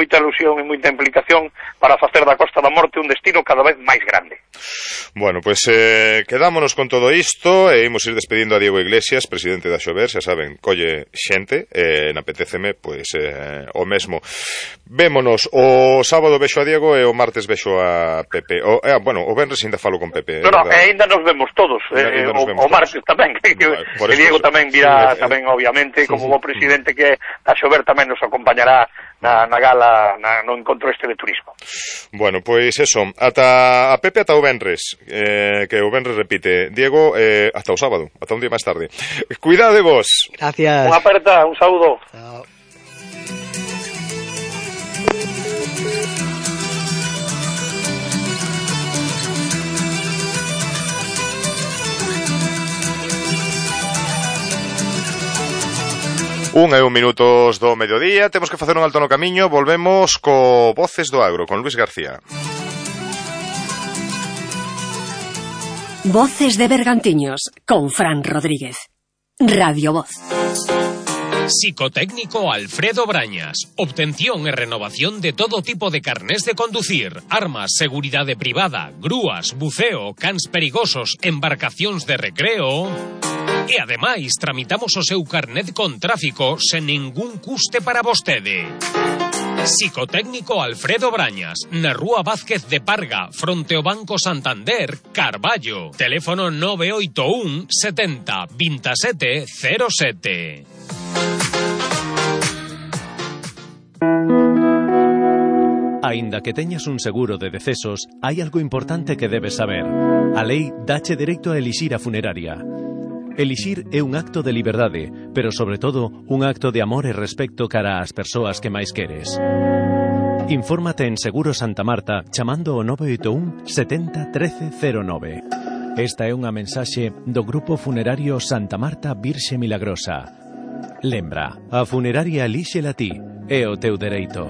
moita ilusión e moita implicación para facer da Costa da Morte un destino cada vez máis grande. Bueno, pois quedámonos con todo isto e imos ir despedindo a Diego Iglesias, presidente da Xover, xa saben, colle xente, napetéceme, pois o mesmo. Vémonos o sábado vexo a Diego e o martes vexo a Pepe. Bueno, o venres ainda falo con Pepe. Ainda nos vemos todos, o martes tamén, que Diego tamén virá, tamén obviamente, como bo presidente que a Xover tamén nos acompañará na gala, no encontro este de turismo. Bueno, pois eso, ata a Pepe ata o venres, que o venres repite. Diego, hasta o sábado, ata un día máis tarde. Cuidade vos. Gracias. Unha aperta, un saúdo. Chao. Un minutos do mediodía, temos que facer un alto no camiño, volvemos co Voces do Agro, con Luis García. Voces de Bergantiños, con Fran Rodríguez. Radio Voz. Psicotécnico Alfredo Brañas. Obtención e renovación de todo tipo de carnés de conducir, armas, seguridade privada, grúas, buceo, cans perigosos, embarcacións de recreo. E ademais tramitamos o seu carnet con tráfico sen ningún custe para vostede. Psicotécnico Alfredo Brañas, na Rúa Vázquez de Parga, fronte ao Banco Santander, Carballo. Teléfono 981 70 27 07. Aínda que teñas un seguro de decesos, hai algo importante que debes saber. A lei dache dereito a elixir a funeraria. Elixir é un acto de liberdade, pero sobre todo un acto de amor e respecto cara ás persoas que máis queres. Infórmate en Seguro Santa Marta chamando ao 981 70 13 09. Esta é unha mensaxe do Grupo Funerario Santa Marta Virxe Milagrosa. Lembra, a funeraria elíxela ti, é o teu dereito.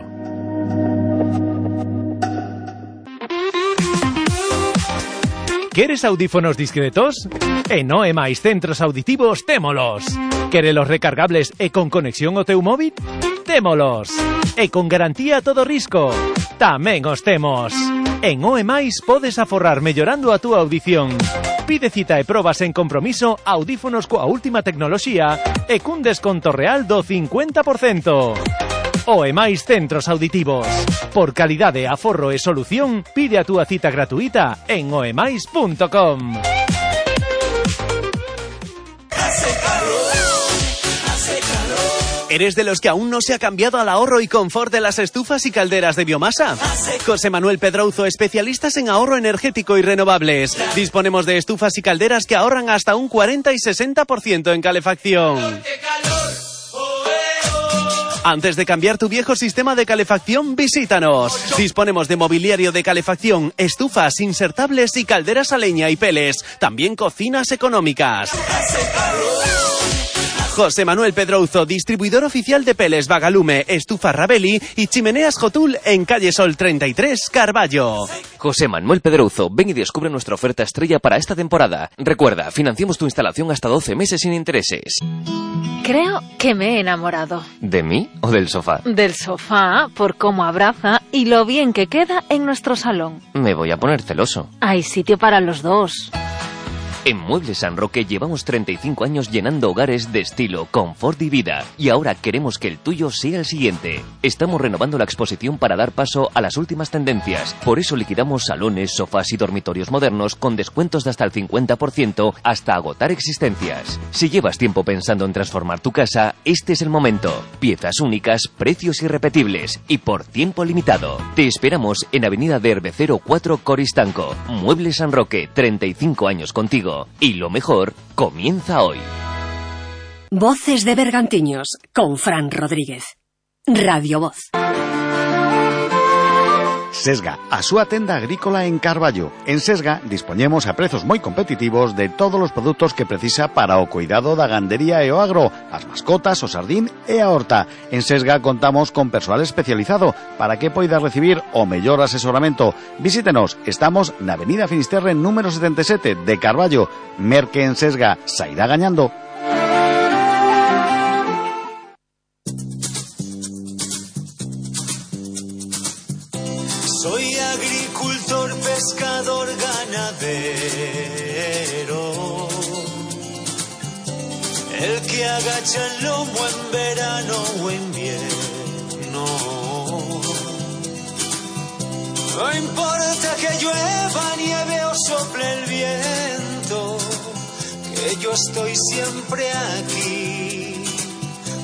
Queres audífonos discretos? En OEMais Centros Auditivos témolos. Querelos recargables e con conexión ao teu móvil? Témolos. E con garantía a todo risco? Tamén os temos. En OEMais podes aforrar mellorando a túa audición. Pide cita e probas en compromiso audífonos coa última tecnoloxía e cun desconto real do 50%. OEMais Centros Auditivos. Por calidade, aforro e solución, pide a túa cita gratuita en oemais.com. ¿Eres de los que aún no se ha cambiado al ahorro y confort de las estufas y calderas de biomasa? José Manuel Pedrouzo, especialistas en ahorro energético y renovables. Disponemos de estufas y calderas que ahorran hasta un 40 y 60% en calefacción. Antes de cambiar tu viejo sistema de calefacción, visítanos. Disponemos de mobiliario de calefacción, estufas insertables y calderas a leña y peles. También cocinas económicas. José Manuel Pedrouzo, distribuidor oficial de peles Vagalume, estufas Rabelli y chimeneas Jotul en calle Sol 33, Carballo. José Manuel Pedrouzo, ven y descubre nuestra oferta estrella para esta temporada. Recuerda, financiamos tu instalación hasta 12 meses sin intereses. Creo que me he enamorado. ¿De mí o del sofá? Del sofá, por cómo abraza y lo bien que queda en nuestro salón. Me voy a poner celoso. Hay sitio para los dos. En Muebles San Roque llevamos 35 años llenando hogares de estilo, confort y vida. Y ahora queremos que el tuyo sea el siguiente. Estamos renovando la exposición para dar paso a las últimas tendencias. Por eso liquidamos salones, sofás y dormitorios modernos con descuentos de hasta el 50% hasta agotar existencias. Si llevas tiempo pensando en transformar tu casa, este es el momento. Piezas únicas, precios irrepetibles y por tiempo limitado. Te esperamos en Avenida de Herbecero 4 Coristanco. Muebles San Roque, 35 años contigo. Y lo mejor comienza hoy. Voces de Bergantiños, con Fran Rodríguez. Radio Voz. Sesga, a súa tenda agrícola en Carballo. En Sesga dispoñemos a prezos moi competitivos de todos os produtos que precisa para o cuidado da gandería e o agro, as mascotas, o sardín e a horta. En Sesga contamos con persoal especializado para que poida recibir o mellor asesoramento. Visítenos, estamos na Avenida Finisterre número 77 de Carballo. Merque en Sesga, sairá gañando. Soy agricultor, pescador, ganadero, el que agacha el lomo en verano o invierno. No importa que llueva, nieve o sople el viento, que yo estoy siempre aquí,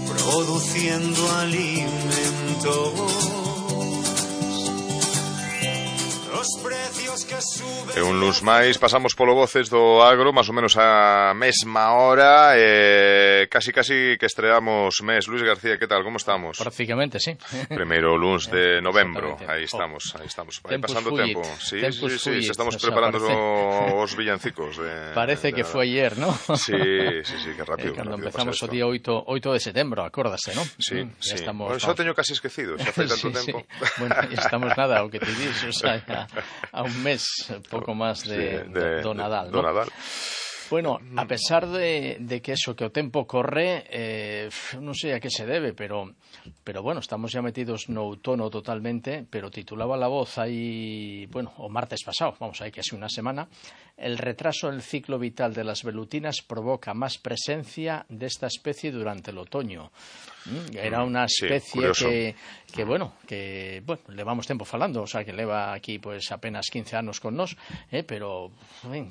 produciendo alimentos. E un luns máis pasamos polo Voces do Agro, máis ou menos a mesma hora, casi que estreamos mes. Luis García, que tal, como estamos? Prácticamente, sí. Primeiro luns de novembro, aí estamos. Aí pasando tempo. Sí, estamos preparando os villancicos. Parece que foi ayer, ¿no? Sí, que rápido. Cando empezamos o día 8 de setembro, acórdase, ¿no? Sí. Xa teño casi esquecido, xa fai tanto tempo. Bueno, estamos nada, o que te dis, o sea, a un mes, pouco máis do Nadal, ¿no? Bueno, a pesar de que eso, que o tempo corre, non sei a que se debe, pero bueno, estamos ya metidos no outono totalmente, pero titulaba La Voz aí, bueno, o martes pasado, vamos, hai que así unha semana, el retraso del ciclo vital de las velutinas provoca más presencia de esta especie durante el otoño. Era unha especie que levamos tempo falando, o sea, que leva aquí pues apenas 15 anos con nos, pero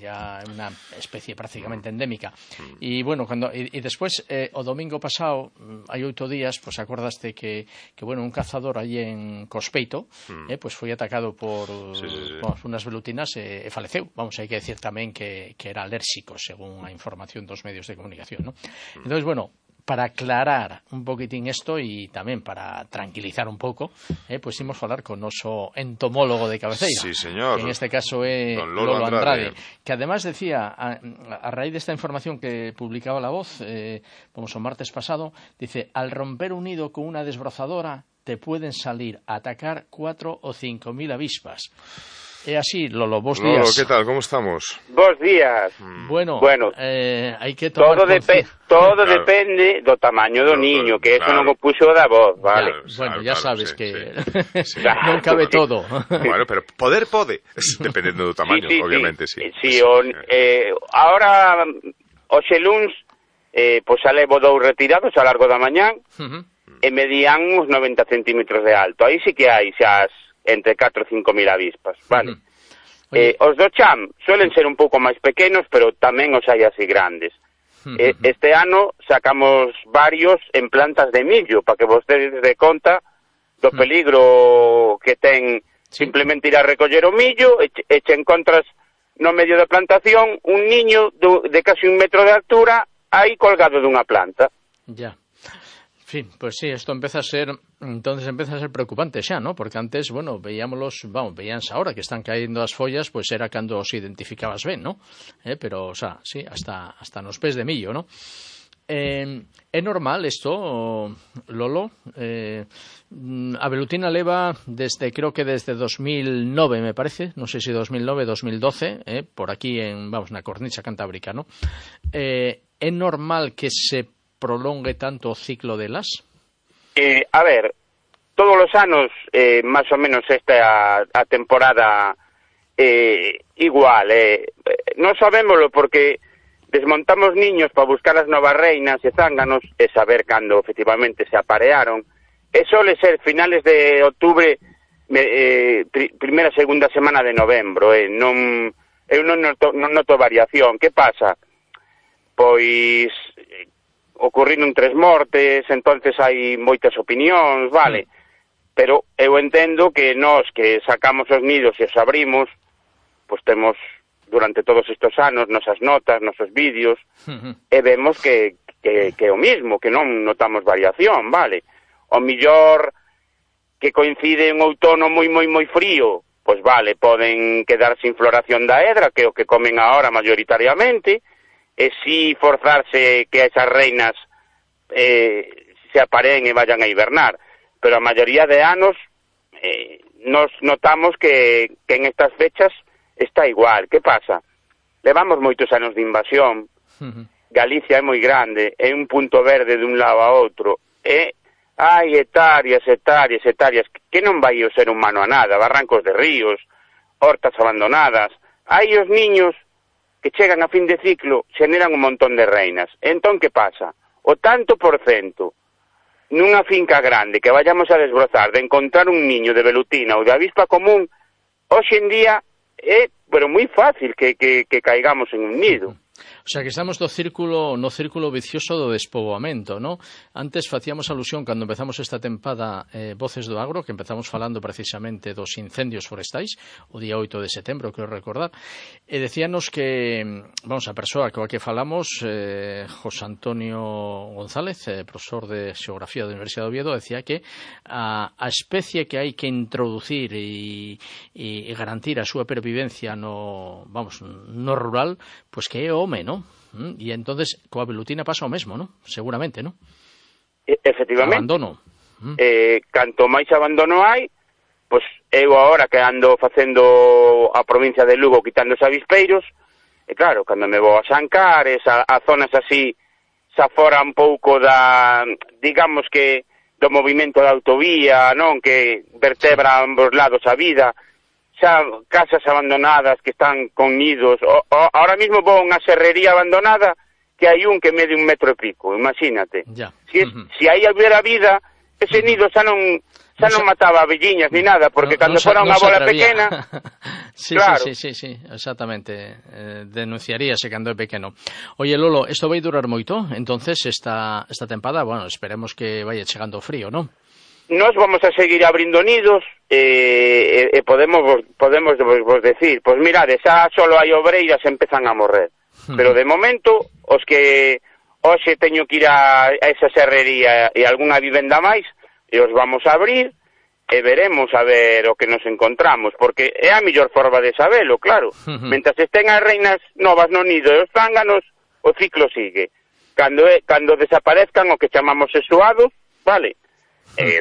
ya é unha especie prácticamente endémica. E bueno, despois o domingo pasado, hai 8 días, pues acordaste que bueno, un cazador aí en Cospeito, pues foi atacado por unas velutinas e faleceu. Vamos, hai que decir tamén que era alérxico, según a información dos medios de comunicación, ¿no? Entonces, bueno, para aclarar un poquitín esto y tamén para tranquilizar un pouco, pues imos falar con noso entomólogo de cabeceira. Sí, señor. Que en este caso é Lolo Andrade, que además decía, a raíz desta información que publicaba La Voz, vamos, o martes pasado, dice, al romper un nido con una desbrozadora te pueden salir a atacar 4 o 5 mil avispas. É así, Lolo, bos días. Lolo, que tal, como estamos? Bos días. Bueno, hai que tomar todo depende do tamaño do niño, que eso non o puxo da voz, vale? Bueno, ya sabes que non cabe todo. Bueno, pero poder pode, dependendo do tamaño, obviamente, sí. Sí, ahora, hoxe luns, pois xa levo 2 retirados ao largo da mañán, e medían uns 90 centímetros de alto. Aí sí que hai xa entre 4 e 5 mil avispas, vale? Os do cham suelen ser un pouco máis pequenos, pero tamén os hai así grandes. Este ano sacamos varios en plantas de millo, para que vostedes de conta do peligro que ten simplemente ir a recoller o millo e che encontras no medio da plantación un niño de casi 1 metro de altura aí colgado dunha planta. Ya. En fin, pues sí, esto empieza a ser preocupante xa, ¿no? Porque antes, bueno, veíanse ahora que están caindo as follas, pues era cando os identificabas ben, ¿no? Pero, o sea, sí, hasta nos pés de millo, ¿no? É normal isto, Lolo? A velutina leva creo que desde 2009, me parece, non sei se 2009, 2012, por aquí na cornicha cantábrica, ¿no? É normal que se prolongue tanto o ciclo delas? A ver, todos os anos, máis ou menos esta a temporada igual. Non sabémoslo porque desmontamos niños para buscar as novas reinas e zánganos e saber cando efectivamente se aparearon. E sole ser finales de outubro, primeira, segunda semana de novembro. Eu non noto variación. Que pasa? Pois ocurriron 3 mortes, entonces hai moitas opinións, vale? Pero eu entendo que nós que sacamos os nidos e os abrimos, pois temos durante todos estes anos nosas notas, nosos vídeos, e vemos que é o mismo, que non notamos variación, vale? O millor que coincide un outono moi frío, pois vale, poden quedar sin floración da hedra, que é o que comen agora mayoritariamente, e si forzarse que esas reinas se apareen e vayan a hibernar. Pero a maioría de anos nos notamos que en estas fechas está igual. Que pasa? Levamos moitos anos de invasión, Galicia é moi grande, é un punto verde de un lado a outro, e hai hectáreas, que non vai o ser humano a nada, barrancos de ríos, hortas abandonadas, hai os niños que chegan a fin de ciclo, xeneran un montón de reinas. Entón, que pasa? O tanto por cento nunha finca grande que vayamos a desbrozar de encontrar un niño de velutina ou de avispa común, hoxe en día é pero moi fácil que caigamos en un nido. O sea, que estamos no círculo vicioso do despoboamento, ¿no? Antes facíamos alusión, cando empezamos esta tempada Voces do Agro, que empezamos falando precisamente dos incendios forestais, o día 8 de setembro, creo recordar, e decíanos que, vamos, a persoa coa que falamos, José Antonio González, profesor de Xeografía da Universidade de Oviedo, decía que a especie que hai que introducir e garantir a súa pervivencia no rural, pues que é o home, ¿no? E entonces coa velutina pasa o mesmo, ¿no? Seguramente, ¿no? Efectivamente. Abandono. Canto máis abandono hai, pois eu agora que ando facendo a provincia de Lugo quitando os avispeiros, e claro, cando me vou a Sancares, a zonas así, xa fora un pouco da, digamos que, do movimento da autovía, non? Que vertebra ambos lados a vida, xa casas abandonadas que están con nidos. Ahora mismo vou a unha serrería abandonada que hai un que mede 1,5 metros, imagínate. Ya. Si aí hubiera vida, ese nido xa non mataba abelliñas ni nada, porque cando fora unha bola pequena... Sí, claro. Sí, exactamente. Denunciaríase cando é pequeno. Oye, Lolo, isto vai durar moito? Entonces, esta tempada, bueno, esperemos que vaya chegando o frío, non? Nos vamos a seguir abrindo nidos e podemos vos decir, pois mirade, xa solo hai obreiras empezan a morrer, pero de momento os que hoxe teño que ir a esa serrería e algunha vivenda máis, e os vamos a abrir e veremos a ver o que nos encontramos, porque é a mellor forma de sabelo, claro. Mentras estén as reinas novas no nido e os zánganos, o ciclo sigue. Cando desaparezcan o que chamamos sexuados, vale,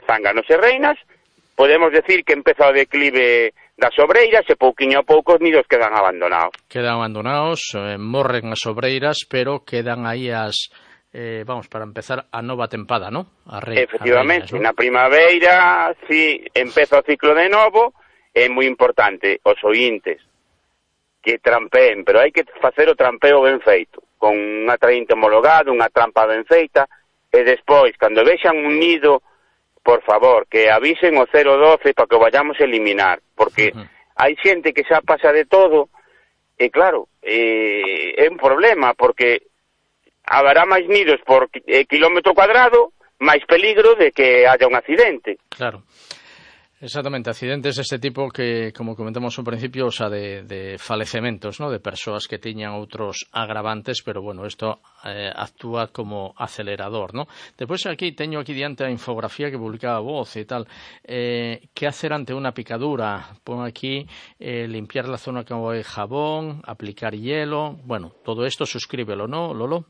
zánganos e reinas, podemos decir que empeza o declive das obreiras e pouquiño a pouco os nidos quedan abandonados. Morren as obreiras, pero quedan aí as... vamos, para empezar a nova tempada, ¿no? Efectivamente, reinas, ¿no? Na primavera, si empeza o ciclo de novo, é moi importante os ointes que trampeen, pero hai que facer o trampeo ben feito, con un atraínte homologado, unha trampa ben feita, e despois, cando vexan un nido, por favor, que avisen o 012 para que o vayamos a eliminar, porque hai xente que xa pasa de todo, e claro, é un problema, porque haberá máis nidos por kilómetro cuadrado, máis peligro de que haya un accidente. Claro. Exactamente, accidentes deste tipo que, como comentamos ao principio, o sea, de falecementos, ¿no? De persoas que tiñan outros agravantes, pero bueno, isto actúa como acelerador, ¿no? Despois teño aquí diante a infografía que publicaba Voz e tal. Que hacer ante unha picadura? Pon aquí limpiar la zona con jabón, aplicar hielo. Bueno, todo isto suscríbelo, ¿no, Lolo?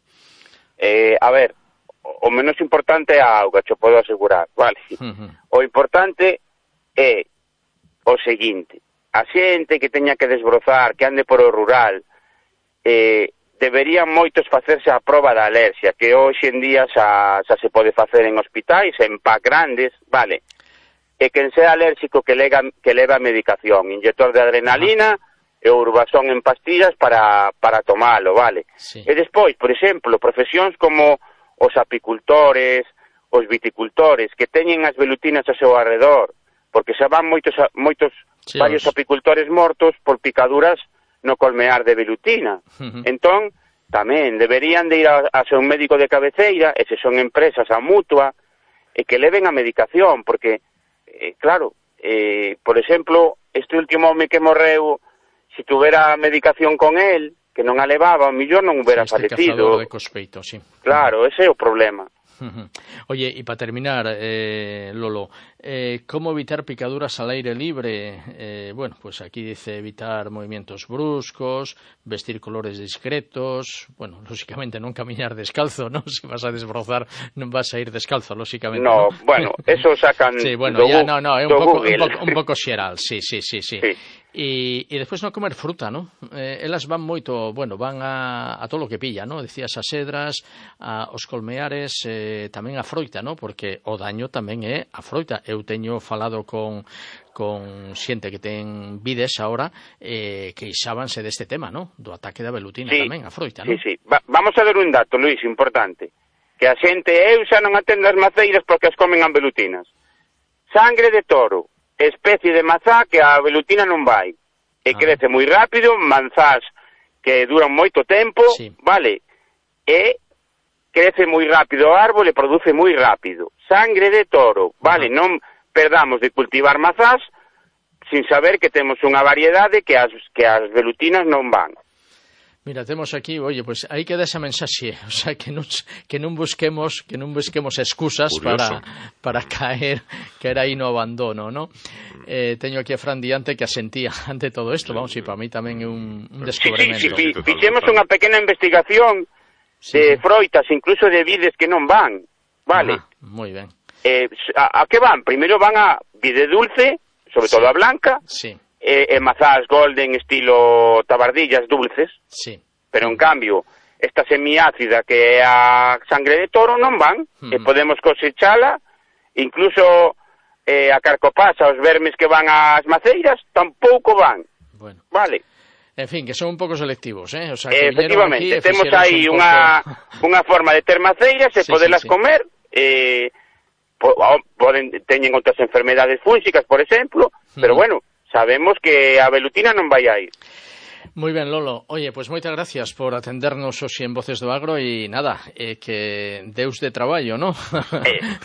A ver, o menos importante é a auga, te podo asegurar, vale? O importante é o seguinte: a xente que teña que desbrozar, que ande por o rural, deberían moitos facerse a proba da alerxia, que hoxe en día xa se pode facer en hospitais, en PAC grandes, vale? E quen sea alérxico que leva a medicación, inyector de adrenalina e urbasón en pastillas para tomalo, vale? Sí. E despois, por exemplo, profesións como os apicultores, os viticultores, que teñen as velutinas ao seu arredor, porque xa van varios apicultores mortos por picaduras no colmear de velutina. Entón, tamén deberían de ir a ser un médico de cabeceira, e se son empresas a mutua, e que leven a medicación, porque, claro, por exemplo, este último home que morreu, se tuvera medicación con él, que non a levaba, o millor non hubiera falecido. De cospeito, sí. Claro, ese é o problema. Oye, y para terminar, Lolo, ¿cómo evitar picaduras al aire libre? Bueno, pues aquí dice evitar movimientos bruscos, vestir colores discretos, bueno, lógicamente no caminar descalzo, ¿no? Si vas a desbrozar, no vas a ir descalzo, lógicamente. No, bueno, eso sacan sí, bueno, ya, no, es un poco xeral, sí. E despois non comer fruta, non? Elas van moito, bueno, van a todo o que pilla, non? Decías as cedras, aos colmeares, tamén a froita, non? Porque o daño tamén é a froita. Eu teño falado con xente que ten vides agora queixábanse deste tema, non? Do ataque da velutina tamén, a froita, non? Sí. Vamos a dar un dato, Luís, importante. Que a xente, eu xa non atendo as maceiras porque as comen as velutinas. Sangre de toro, especie de mazá que a velutina non vai. E crece moi rápido, manzás que duran moito tempo, vale? E crece moi rápido o árbol e produce moi rápido. Sangre de toro, vale? Non perdamos de cultivar mazás sin saber que temos unha variedade que as velutinas non van. Mira, temos aquí, oye, pues aí queda esa mensaxe, o sea, que non busquemos excusas para caer aí no abandono, ¿no? Teño aquí a Fran diante que asentía ante todo isto, vamos, e para mí tamén é un descubrimento. Fixemos unha pequena investigación de froitas, incluso de vides que non van, vale? Moi ben. A que van? Primeiro van a vide dulce, sobre todo a blanca, e mazás golden estilo tabardillas dulces, pero en cambio esta semiácida que é a sangre de toro non van, e podemos cosechala, incluso a carcopasa, os vermes que van ás maceiras tampouco van, vale? En fin, que son un pouco selectivos, O sea, efectivamente, temos aí unha forma de ter maceiras e podelas comer, teñen outras enfermedades fúngicas, por exemplo, pero bueno, sabemos que a velutina non vai a ir. Moi ben, Lolo. Oye, pues moitas gracias por atendernos hoxe en Voces do Agro e nada, que deus de traballo, ¿no?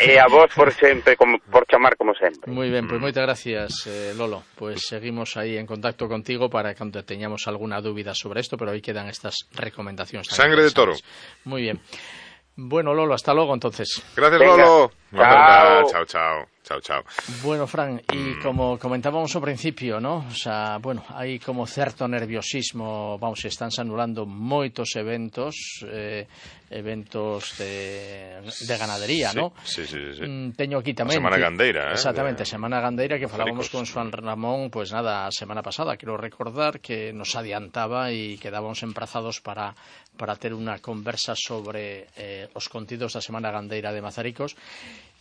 E a vos por sempre, por chamar como sempre. Moi ben, pues moitas gracias, Lolo. Pues seguimos aí en contacto contigo para cando teñamos alguna dúbida sobre isto, pero aí quedan estas recomendacións. Sangre de toro. Moi bien. Bueno, Lolo, hasta luego entonces. Gracias, Lolo. Chao. Bueno, Fran, y como comentábamos ao principio, ¿no? O sea, bueno, hai como certo nerviosismo, vamos, estánse anulando moitos eventos de ganadería, ¿no? Sí. Teño aquí tamén... A Semana Gandeira, Exactamente, Semana Gandeira, que falábamos con Juan Ramón, pues nada, a semana pasada, quero recordar que nos adiantaba e quedábamos emprazados para ter unha conversa sobre os contidos da Semana Gandeira de Mazaricos.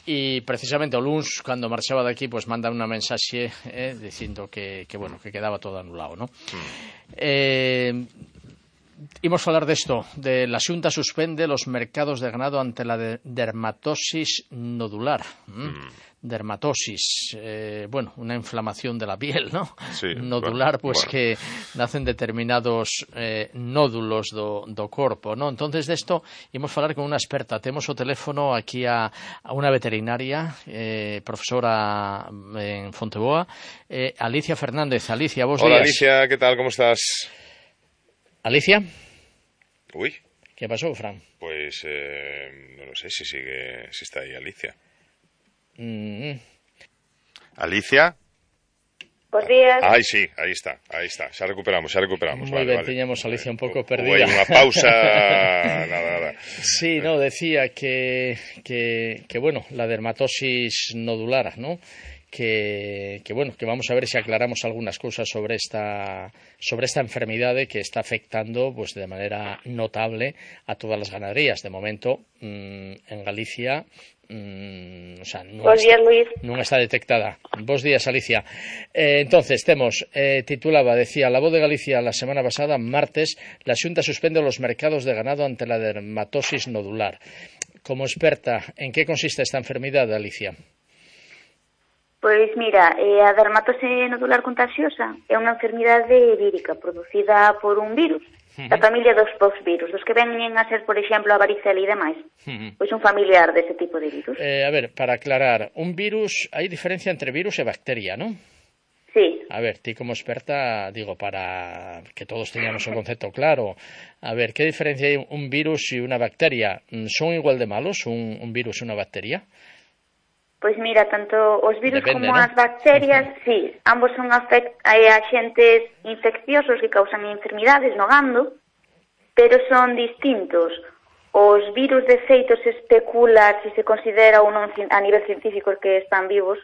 E precisamente o luns, cando marchaba daqui, pues manda unha mensaxe dicindo que bueno, que quedaba todo anulado, ¿no? Imos falar desto, de la Xunta suspende los mercados de ganado ante la dermatosis nodular. Dermatosis, bueno, una inflamación de la piel, ¿no? Sí, nodular, pues que nacen determinados nódulos do corpo, ¿no? Entonces, de esto imos falar con unha experta. Temos o teléfono aquí a unha veterinaria, profesora en Fonteboa, Alicia Fernández. Alicia, vos días. Hola, Alicia, ¿qué tal? ¿Cómo estás? Alicia. Uy. ¿Qué pasó, Fran? Pues no lo sé si está ahí Alicia. Alicia. Bos días. Ai, sí, aí está. Xa recuperamos. Moi ben, tiñamos a Alicia un pouco perdida. Hai unha pausa, nada. Sí, no, decía que bueno, la dermatosis nodular, ¿no? Que bueno, que vamos a ver si aclaramos algunas cosas sobre esta enfermedade que está afectando pues de manera notable a todas las ganaderías. De momento, en Galicia, o sea, non está detectada. Bos días, Alicia. Entonces, decía La Voz de Galicia la semana pasada, martes, la Xunta suspende los mercados de ganado ante la dermatosis nodular. Como experta, ¿en qué consiste esta enfermedad, Alicia? Pois mira, a dermatose nodular contagiosa é unha enfermidade vírica producida por un virus da familia dos poxvirus, dos que veñen a ser, por exemplo, a varicela e demais. Pois un familiar dese tipo de virus. A ver, para aclarar, un virus, hai diferencia entre virus e bacteria, non? Sí. A ver, ti como experta, digo, para que todos teñamos un concepto claro, a ver, que diferencia hai un virus e unha bacteria? Son igual de malos un virus e unha bacteria? Pois mira, tanto os virus como as bacterias, sí, ambos son axentes infecciosos que causan enfermidades no gando, pero son distintos. Os virus, de feito, se especula, se considera ou non a nivel científico que están vivos,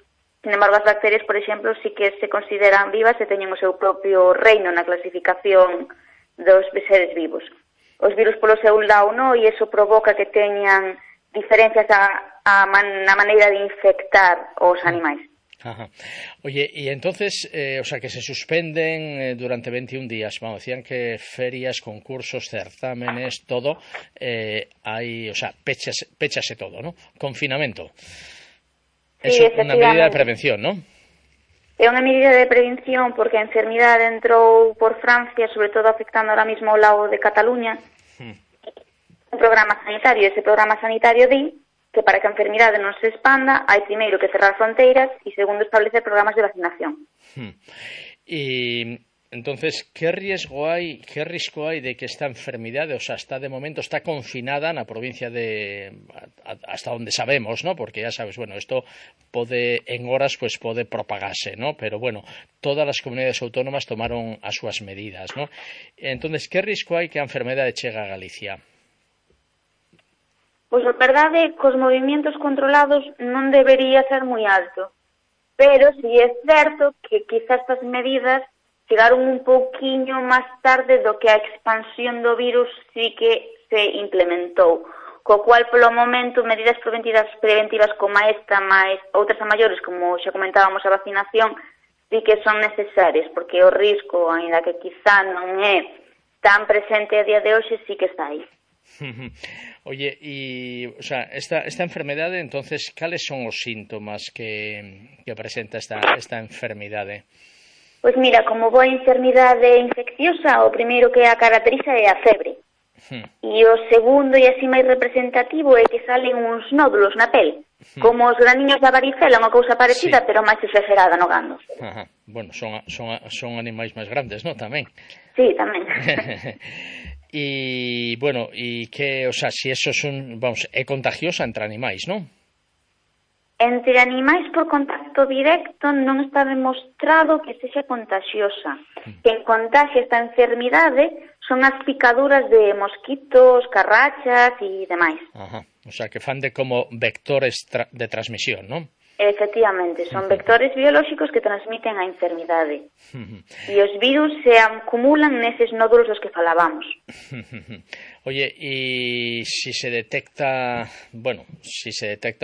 Sin embargo, as bacterias, por exemplo, sí que se consideran vivas e teñen o seu propio reino na clasificación dos seres vivos. Os virus polo seu lado non, e iso provoca que teñan diferencias na maneira de infectar os animais. Ajá. Oye, y entonces, o sea, que se suspenden durante 21 días, vamos, decían que ferias, concursos, certámenes, todo, hay, o sea, péchase todo, ¿no? Confinamento. Sí, es una medida de prevención, ¿no? É unha medida de prevención porque a enfermidade entrou por Francia, sobre todo afectando ahora mismo o lado de Cataluña. Un programa sanitario, ese programa sanitario di que para que a enfermidade non se expanda hai primeiro que cerrar fronteiras e segundo establecer programas de vacinación. Y entonces, ¿qué risco hay de que esta enfermedad, o sea, está confinada na provincia hasta donde sabemos, ¿no? Porque ya sabes, bueno, esto en horas pues pode propagarse, ¿no? Pero bueno, todas las comunidades autónomas tomaron as súas medidas, ¿no? Entonces, ¿qué risco hai que a enfermedade chegue a Galicia? Pois a verdade, cos movimentos controlados non debería ser moi alto, pero si é certo que quizás estas medidas chegaron un pouquiño máis tarde do que a expansión do virus sí que se implementou, co cual polo momento medidas preventivas como esta, máis outras a maiores, como xa comentábamos a vacinación, sí que son necesarias, porque o risco, aínda que quizá non é tan presente a día de hoxe, sí que está aí. Oye, y o sea, esta enfermedade, entonces, cales son os síntomas que presenta esta enfermidade? Pois mira, como boa enfermidade infecciosa, o primeiro que a caracteriza é a febre. E o segundo e así máis representativo é que salen uns nódulos na pel, como os graniños da varicela, unha cousa parecida, pero máis exagerada no gando. Ajá. Bueno, son animais máis grandes, ¿no? Tamén. Sí, tamén. Y bueno, y que, o sea, si eso é contagiosa entre animais, ¿no? Entre animais por contacto directo non está demostrado que sexa contagiosa. Quen contagia esta enfermidade son as picaduras de mosquitos, carrachas e demais. Ajá. O sea, que fan de como vectores de transmisión, ¿no? Efectivamente, son vectores biolóxicos que transmiten a enfermidade. E os virus se acumulan neses nódulos dos que falábamos. Oye, y si se detecta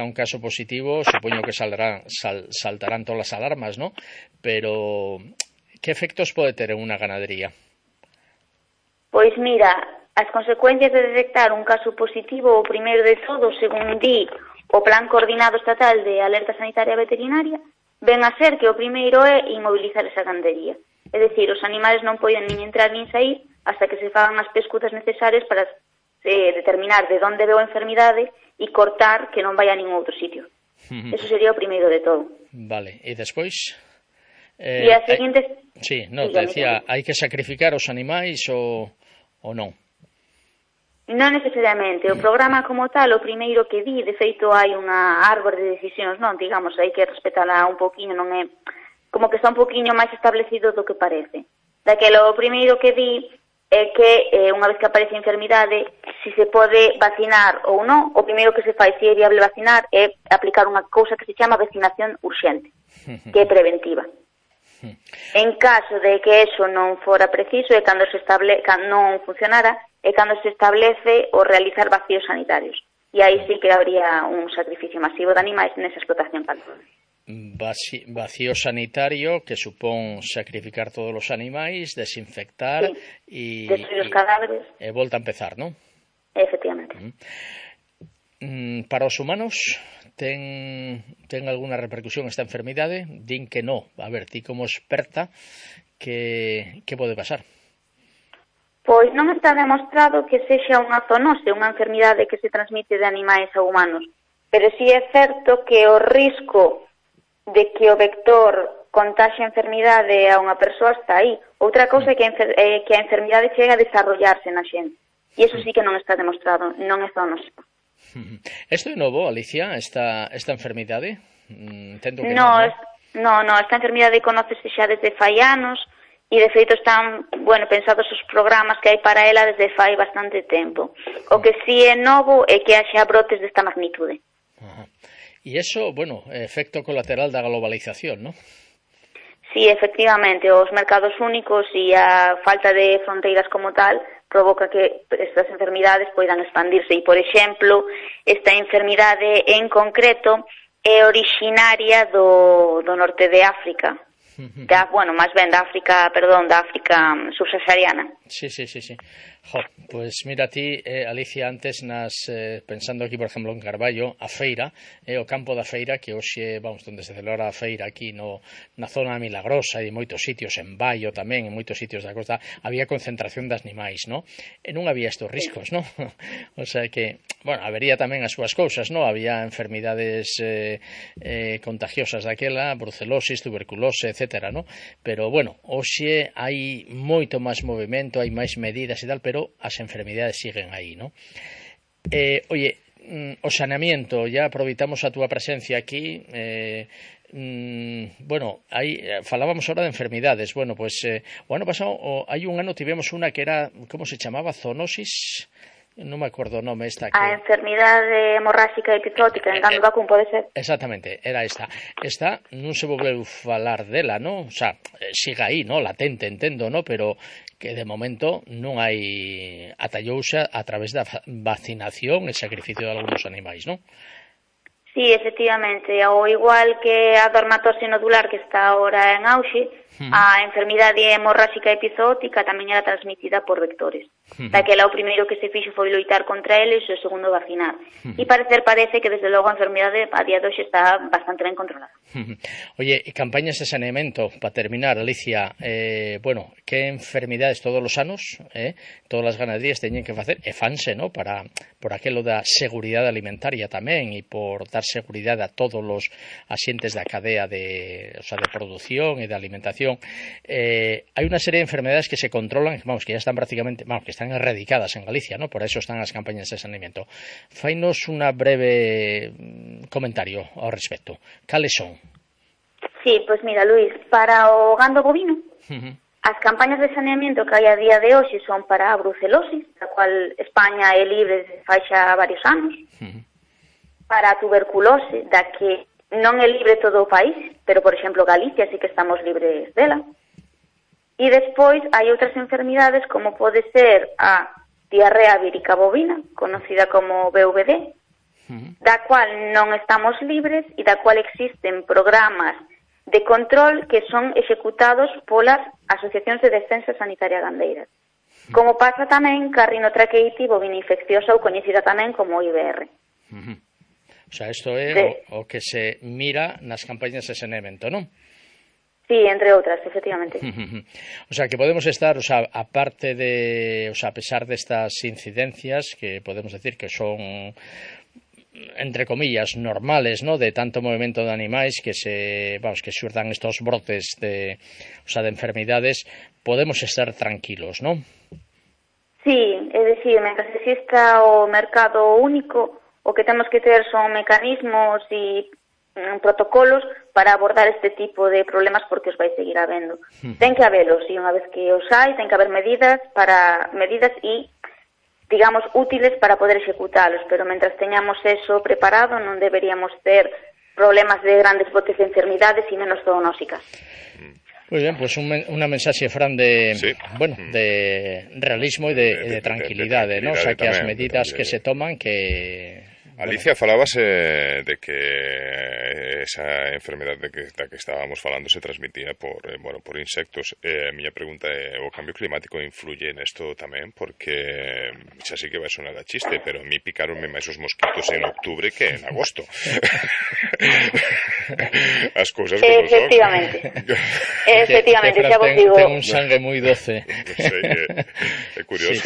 un caso positivo, supoño que saltarán todas las alarmas, ¿no? Pero, ¿qué efectos pode ter en unha ganadería? Pois mira, as consecuencias de detectar un caso positivo, o primeiro de todo, según di o Plan Coordinado Estatal de Alerta Sanitaria Veterinaria, ven a ser que o primeiro é inmobilizar esa gandería. É dicir, os animales non poden nin entrar nin sair hasta que se fagan as pescutas necesarias para determinar de onde veo a enfermidade e cortar que non vai a ningún outro sitio. Eso sería o primeiro de todo. Vale, e despois? E a seguinte... Sí, no, te decía, hai que sacrificar os animais ou non? Non necesariamente. O programa como tal, o primeiro que di, de feito hai unha árbore de decisións, non, digamos, hai que respetala un poquinho, non é como que está un poquinho máis establecido do que parece. Daquelo, o primeiro que di é que unha vez que aparece a enfermidade, si se pode vacinar ou non, o primeiro que se fai, se é viable vacinar, é aplicar unha cousa que se chama vacinación urxente, que é preventiva. En caso de que eso non fora preciso, e cando non funcionara, é cando se establece o realizar vacíos sanitarios. E aí sí que habría un sacrificio masivo de animais nesa explotación cantonal. Vacío sanitario que supón sacrificar todos os animais, desinfectar e destruir os cadáveres. E volta a empezar, non? Efectivamente. Para os humanos ten alguna repercusión esta enfermidade? Din que non. A ver, ti como experta, que pode pasar? Pois non está demostrado que sexa unha zoonose, unha enfermidade que se transmite de animais a humanos, pero sí é certo que o risco de que o vector contaxe a enfermidade a unha persoa está aí. Outra cousa é que a enfermidade chega a desarrollarse na xente, e iso sí que non está demostrado, non é zoonose. Isto é novo, Alicia, esta enfermidade? Entendo que non, esta enfermidade conócese xa desde fai anos, e de feito están, pensados os programas que hai para ela desde fai bastante tempo. O que si é novo é que haxa brotes desta magnitude. E iso, bueno, efecto colateral da globalización, non? Sí, efectivamente, os mercados únicos e a falta de fronteiras como tal provoca que estas enfermidades poidan expandirse. E, por exemplo, esta enfermidade en concreto é originaria do norte de África. Máis ben da África subsahariana. Sí. Jo, pues mira ti, Alicia, antes pensando aquí, por exemplo, en Carballo, a feira, o campo da feira, que hoxe, onde se celebra a feira aquí na zona Milagrosa e en moitos sitios, en Baio tamén, en moitos sitios da costa, había concentración de animais, non? E non había estos riscos, non? O sea que, habería tamén as súas cousas, non? Había enfermidades contagiosas daquela, brucelosis, tuberculose, etcétera, non? Pero, hoxe hai moito máis movimento, hai máis medidas e tal, pero as enfermidades siguen aí, ¿no? Oye, o saneamiento, ya aproveitamos a túa presencia aquí, aí falábamos ahora de enfermidades. O ano pasado, hai un ano tivemos unha que era, como se chamaba, zoonosis, non me acordo o nome esta que... A enfermidade hemorráxica epizótica en gando vacún, pode ser? Exactamente, era esta. Esta non se volveu falar dela, non? O sea, siga aí, non? Latente, entendo, non? Pero que de momento non hai atallouse a través da vacinación e sacrificio de algúns animais, non? Sí, efectivamente, ao igual que a dermatose nodular que está ahora en auxe, a enfermidade hemorráxica epizootica tamén era transmitida por vectores. Daquela o primeiro que se fixo foi loitar contra eles e o segundo vacinar. E parece que desde logo a enfermidade a día de hoxe está bastante ben controlada. Oye, e campañas de saneamento, para terminar, Alicia, que enfermidades todos os anos, todas as ganaderías teñen que facer, e fanse, ¿no? Por aquelo da seguridade alimentaria tamén, e por dar seguridade a todos os axentes da cadea de produción e de alimentación. Hai unha serie de enfermedades que se controlan, que ya están prácticamente, que están erradicadas en Galicia, ¿no? Por eso están as campañas de saneamento. Fainos unha breve comentario ao respecto. Cales son? Sí, pois mira, Luís, para o gando bovino, as campañas de saneamento que hai a día de hoxe son para a brucelosis, da cual España é libre de fai xa varios anos, para a tuberculose, da que non é libre todo o país, pero, por exemplo, Galicia sí que estamos libres dela. E despois hai outras enfermidades como pode ser a diarrea vírica bovina, conocida como VVD, da cual non estamos libres e da cual existen programas de control que son executados polas asociacións de defensa sanitaria gandeiras. Como pasa tamén ca rinotraqueite bovina infecciosa ou coñecida tamén como IBR. O sea, isto é o que se mira nas campañas de saneamento, non? Sí, entre outras, efectivamente. O sea, que podemos estar, aparte de, a pesar destas incidencias, que podemos decir que son, entre comillas, normales, ¿no? De tanto movimento de animais que xurdan estos brotes de enfermidades, podemos estar tranquilos, ¿no? Sí, é dicir, mentras exista o mercado único, o que temos que ter son mecanismos e protocolos para abordar este tipo de problemas porque os vai seguir habendo. Ten que habelos, e unha vez que os hai, ten que haber medidas e, digamos, útiles para poder executalos, pero mentras teñamos eso preparado non deberíamos ter problemas de grandes botes de enfermidades e menos zoonósicas. Muy bien, pues unha mensaxe, Fran, de realismo e de tranquilidade, ¿no? O sea, que as medidas que se toman que... Alicia, falabas de que esa enfermedad da que estábamos falando se transmitía por insectos. A miña pregunta é, o cambio climático influye nesto tamén? Porque xa sí que vai sonar a chiste, pero a mí picaronme máis os mosquitos en octubre que en agosto. As cousas como son. Efectivamente, xa vos digo. Ten un sangue moi doce. É curioso,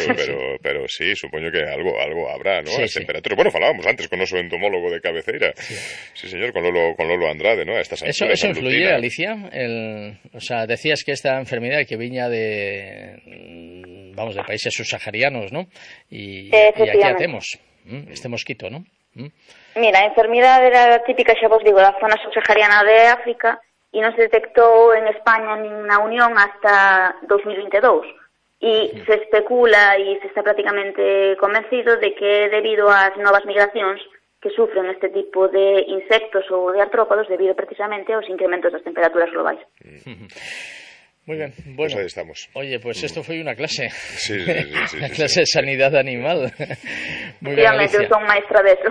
pero sí, supoño que algo habrá, ¿no? As temperaturas. Bueno, falábamos antes con noso entomólogo de cabeceira. Sí, señor, con Lolo Andrade, ¿no? Eso influye, Alicia? Decías que esta enfermedad que viña de países subsaharianos, ¿no? Y aquí hacemos este mosquito, ¿no? Mira, a enfermidade era típica, xa vos digo, da zona subsahariana de África e non se detectou en España nin na Unión hasta 2022. E se especula e se está prácticamente convencido de que debido ás novas migracións que sufren este tipo de insectos ou de artrópodos debido precisamente aos incrementos das temperaturas globais. Muy bien, bueno, pues ahí estamos. Oye, pues esto foi unha clase. Sí, Unha clase de sanidade animal. Moi ben, Alicia. Eu son maestra de eso.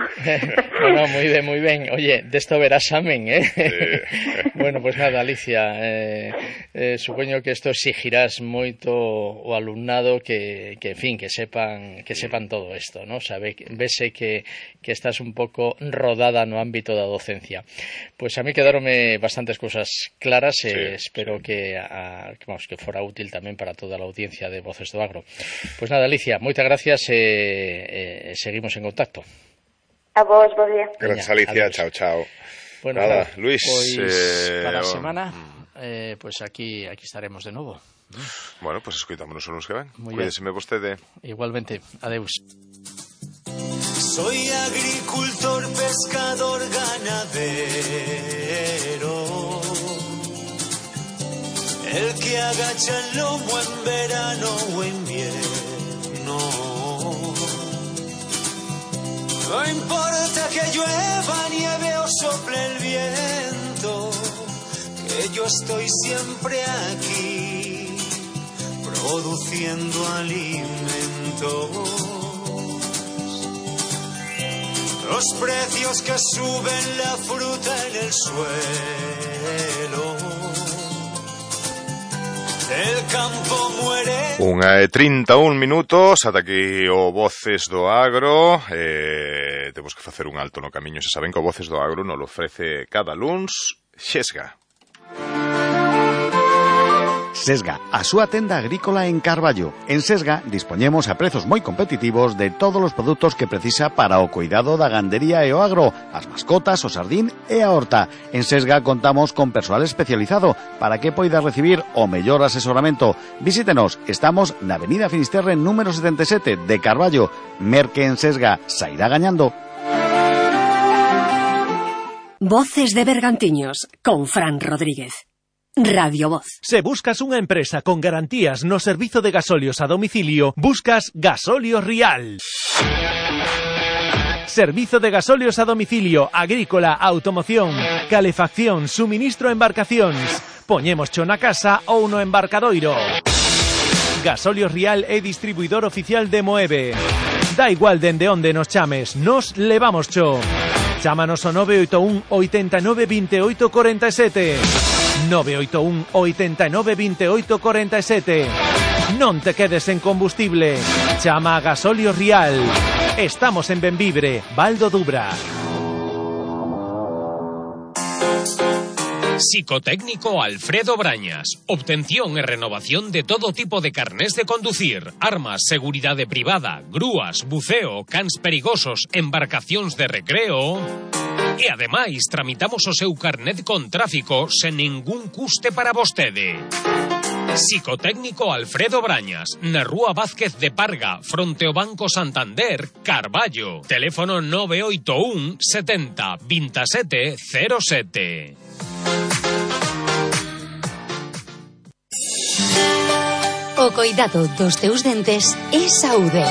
No, moi ben. Oye, desto verás amen, Bueno, pues nada, Alicia, supoño que esto exigirás moito o alumnado que en fin, que sepan todo isto, ¿no? Vese que estás un pouco rodada no ámbito da docencia. Pues a mí quedaronme bastantes cousas claras e espero que fora útil tamén para toda a audiencia de Voces do Agro. Pois nada, Alicia, moitas gracias e seguimos en contacto. A vos, bo día. Gracias, Alicia, chao, chao. Bueno, nada, Luis, para a semana, pues aquí estaremos de novo. Bueno, pues escoitámonos uns que ven. Cuídeseme vostede. Igualmente, adeus. Soy agricultor, pescador, ganadero. El que agacha el lomo en verano o invierno. No importa que llueva, nieve o sople el viento, que yo estoy siempre aquí, produciendo alimentos. Los precios que suben la fruta en el suelo. El campo muere. 1:31 minutos, ata aquí o Voces do Agro. Temos que facer un alto no camiño. Se saben que o Voces do Agro nos lo ofrece cada luns Xesga. Sesga, a súa tenda agrícola en Carballo. En Sesga dispoñemos a prezos moi competitivos de todos os produtos que precisa para o cuidado da gandería e o agro, as mascotas, o sardín e a horta. En Sesga contamos con persoal especializado para que poida recibir o mellor asesoramento. Visítenos, estamos na Avenida Finisterre número 77 de Carballo. Merque en Sesga, sairá gañando. Voces de Bergantiños, con Fran Rodríguez. Radio Voz. Se buscas unha empresa con garantías no servizo de gasolios a domicilio, buscas Gasolios Rial. Servizo de gasolios a domicilio, agrícola, automoción, calefacción, suministro a embarcacións. Poñémoscho na casa ou no embarcadoiro. Gasolios Rial é distribuidor oficial de Moeve. Da igual dende onde nos chames, nos levamoscho. Chámanos ao 981 89 28 47. 981 89 28 47. Non te quedes en combustible. Chama a Gasolios Rial. Estamos en Benvibre, Val do Dubra. Psicotécnico Alfredo Brañas. Obtención e renovación de todo tipo de carnés de conducir, armas, seguridade privada, grúas, buceo, cans perigosos, embarcacións de recreo. E ademais tramitamos o seu carnet con tráfico sen ningún custe para vostede. Psicotécnico Alfredo Brañas, na Rúa Vázquez de Parga, fronte ao Banco Santander, Carballo. Teléfono 981 70 27 07. O coidado dos teus dentes é saúde.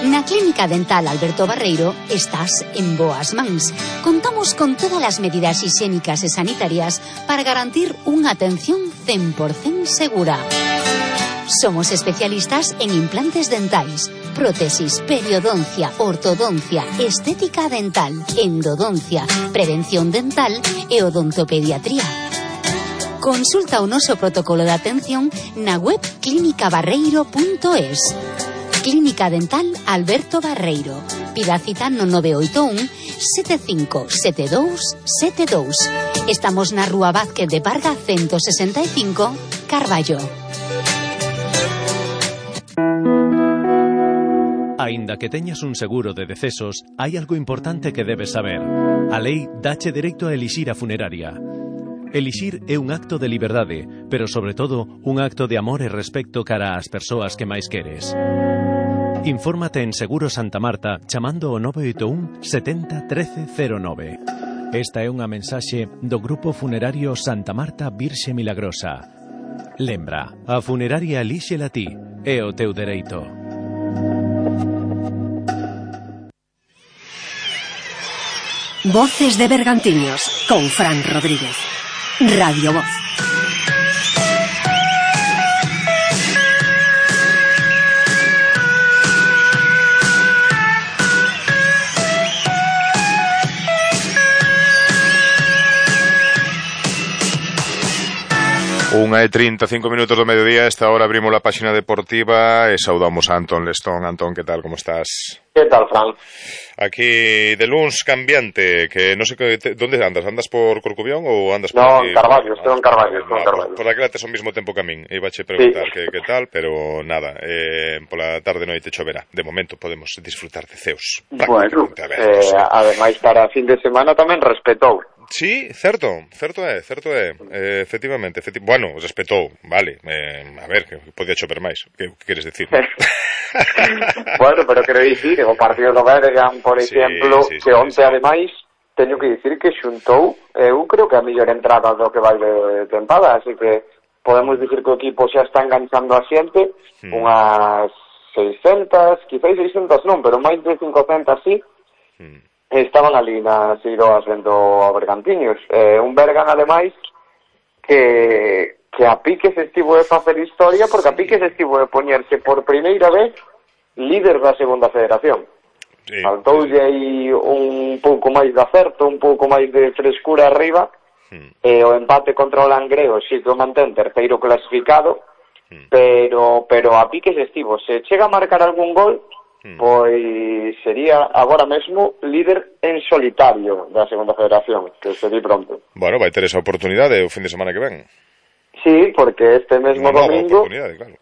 Na Clínica Dental Alberto Barreiro estás en boas mans. Contamos con todas as medidas higiénicas e sanitarias para garantir unha atención 100% segura. Somos especialistas en implantes dentais, prótesis, periodoncia, ortodoncia, estética dental, endodoncia, prevención dental e odontopediatría. Consulta o noso protocolo de atención na web clinicabarreiro.es. Clínica Dental Alberto Barreiro. Pida cita no 981 75 72 72. Estamos na Rúa Vázquez de Parga 165, Carballo. Aínda que teñas un seguro de decesos, hai algo importante que debes saber. A lei dache dereito a elixir a funeraria. Elixir é un acto de liberdade, pero sobre todo un acto de amor e respecto cara ás persoas que máis queres. Infórmate en Seguro Santa Marta chamando ao 981 70 13 09. Esta é unha mensaxe do Grupo Funerario Santa Marta Virxe Milagrosa. Lembra, a funeraria elíxela ti, é o teu dereito. Voces de Bergantiños con Fran Rodríguez. Radio Voz. Unha e 35 minutos do mediodía. Esta hora abrimos a páxina deportiva e saudamos a Antón Lestón. Antón, que tal, como estás? Que tal, Fran? Aquí de luns cambiante, que non sei onde andas? Andas por Corcubión ou andas por no, aquí? No, en Carballo, estou en Carballo, Por aquela tes ao mesmo tempo que a min. Iba che preguntar sí. que tal, pero nada, pola tarde noite choverá. De momento podemos disfrutar de ceos. Bueno, ademais para fin de semana tamén respetou. Sí, certo é. Efectivamente. Bueno, respetou, vale. A ver, que podía chover máis. Que queres decir? Bueno, pero quero dicir, o partido do Bergan, por exemplo, que onte ademais teño que dicir que xuntou, eu creo que a mellor entrada do que vai de tempada, así que podemos dicir que o equipo xa está enganchando a xente, unhas 600, quizás 600 non, pero máis de 500 sí. Estaban ali nas Iroas vendo a Bergantiños. Un Bergan, ademais, que a piques estivo de facer historia, porque a piques estivo de poñerse por primeira vez líder da segunda federación. Faltoulle aí un pouco máis de acerto, un pouco máis de frescura arriba, e o empate contra o Langreo si que o mantén terceiro clasificado, pero a piques estivo. Se chega a marcar algún gol, pois sería agora mesmo líder en solitario da segunda federación, que se di pronto. Bueno, vai ter esa oportunidade o fin de semana que ven. Sí, porque este mesmo domingo, claro.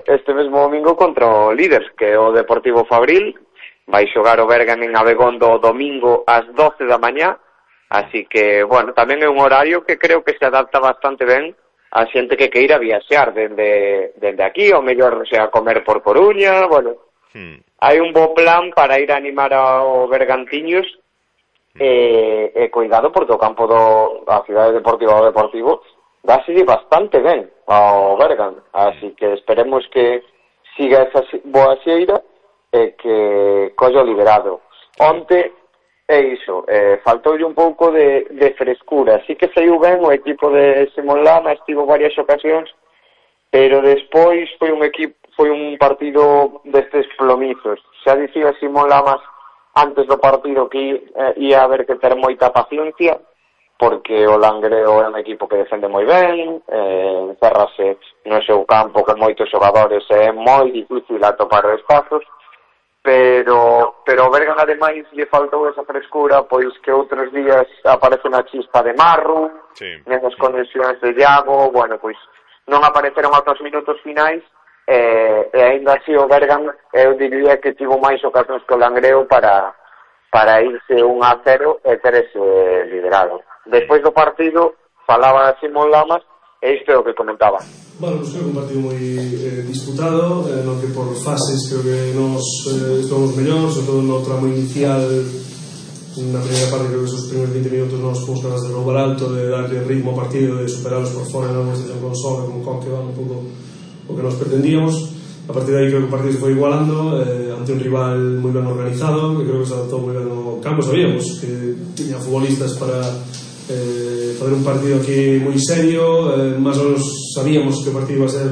Este mesmo domingo contra o líder, que é o Deportivo Fabril, vai xogar o Bergan en Abegondo o domingo ás 12 da mañá, así que, bueno, tamén é un horario que creo que se adapta bastante ben a xente que queira viaxear dende aquí, ou mellor, sea, comer por Coruña, bueno. Hai un bo plan para ir a animar ao Bergantiños e cuidado porque o campo da cidade deportiva do Deportivo dáse bastante ben ao Bergan, así que esperemos que siga esa boa xeira e que collo liberado. Onte é iso, faltoulle un pouco de frescura, así que saiu ben o equipo de Simón Lama, estivo varias ocasións, pero despois foi un partido destes plomizos. Xa dicía Simón Lamas antes do partido que ia haber que ter moita paciencia, porque o Langreo é un equipo que defende moi ben, encérrase no seu campo con moitos xogadores e é moi difícil atopar espazos, pero o Bergan ademais lle faltou esa frescura, pois que outros días aparece unha chispa de Marru, nesas conexións de Iago, bueno, pois non apareceron aos minutos finais, e ainda así o Bergan eu diría que tivo máis ocasións que o Langreo para irse 1-0 e ter ese liderado. Despois do partido falaba Simón Lamas e isto é o que comentaba. Bueno, pues creo que un partido moi disputado, no que por fases creo que nos estamos mellor, sobre todo no tramo inicial. Na primeira parte creo que esos primeiros 20 minutos nos fomos capaces de roubar alto, de darle ritmo ao partido, de superarlos por fora en algún estación con Sobe, con Coque, un pouco o que nos pretendíamos. A partir de aí creo que o partido se foi igualando ante un rival moi ben organizado, que creo que se adaptou moi ben ao campo. Sabíamos que tiña futbolistas para fazer un partido aquí moi serio, máis ou menos sabíamos que o partido iba a ser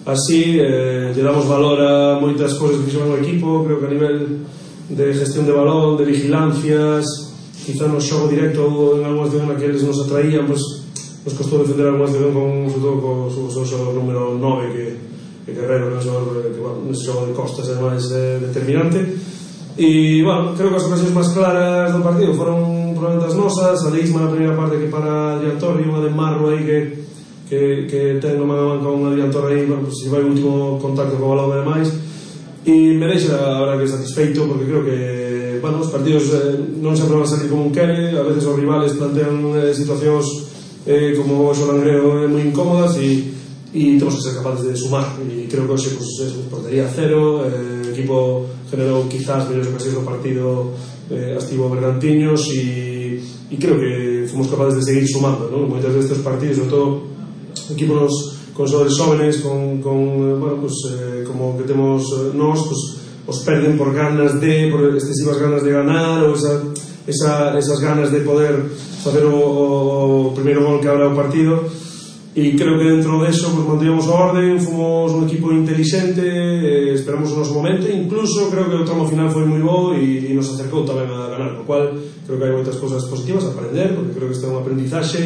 así, lle damos valor a moitas cousas que fixeron o equipo, creo que a nivel de gestión de balón, de vigilancias, quizá no xogo directo en algunha situación na que eles nos atraían, pues nos costou defender algunha situación sobre todo co seu xogador número 9 que Guerrero, que é un xogador que, bueno, nese xogo de costas é máis determinante. E, bueno, creo que as ocasións máis claras do partido foron probablemente as nosas, a de Isma na primeira parte que para Adrián Torre e unha de Marro aí que ten no mano a man con Adrián Torre aí, bueno, pues, se vai o último contacto co balón e demais, e me deixa a verdad que satisfeito, porque creo que, bueno, os partidos non sempre van a salir como un quere, a veces os rivales plantean situacións como o Langreo moi incómodas e temos que ser capaces de sumar, e creo que hoxe pues, portería cero, o equipo generou quizás mellores ocasións do partido estivo Bergantiños e creo que fomos capaces de seguir sumando, ¿no? Moitas destes partidos, sobre todo equipos con xogadores jóvenes bueno, pues, como que temos nós, pues, os perden por excesivas ganas de ganar, ou esa esas ganas de poder facer o primeiro gol que abra o partido. E creo que dentro deso pues, mantivemos a orden, fomos un equipo inteligente, esperamos o noso momento, incluso creo que o tramo final foi moi bo e nos acercou tamén a ganar, no cual creo que hai moitas cousas positivas a aprender, porque creo que este é un aprendizaxe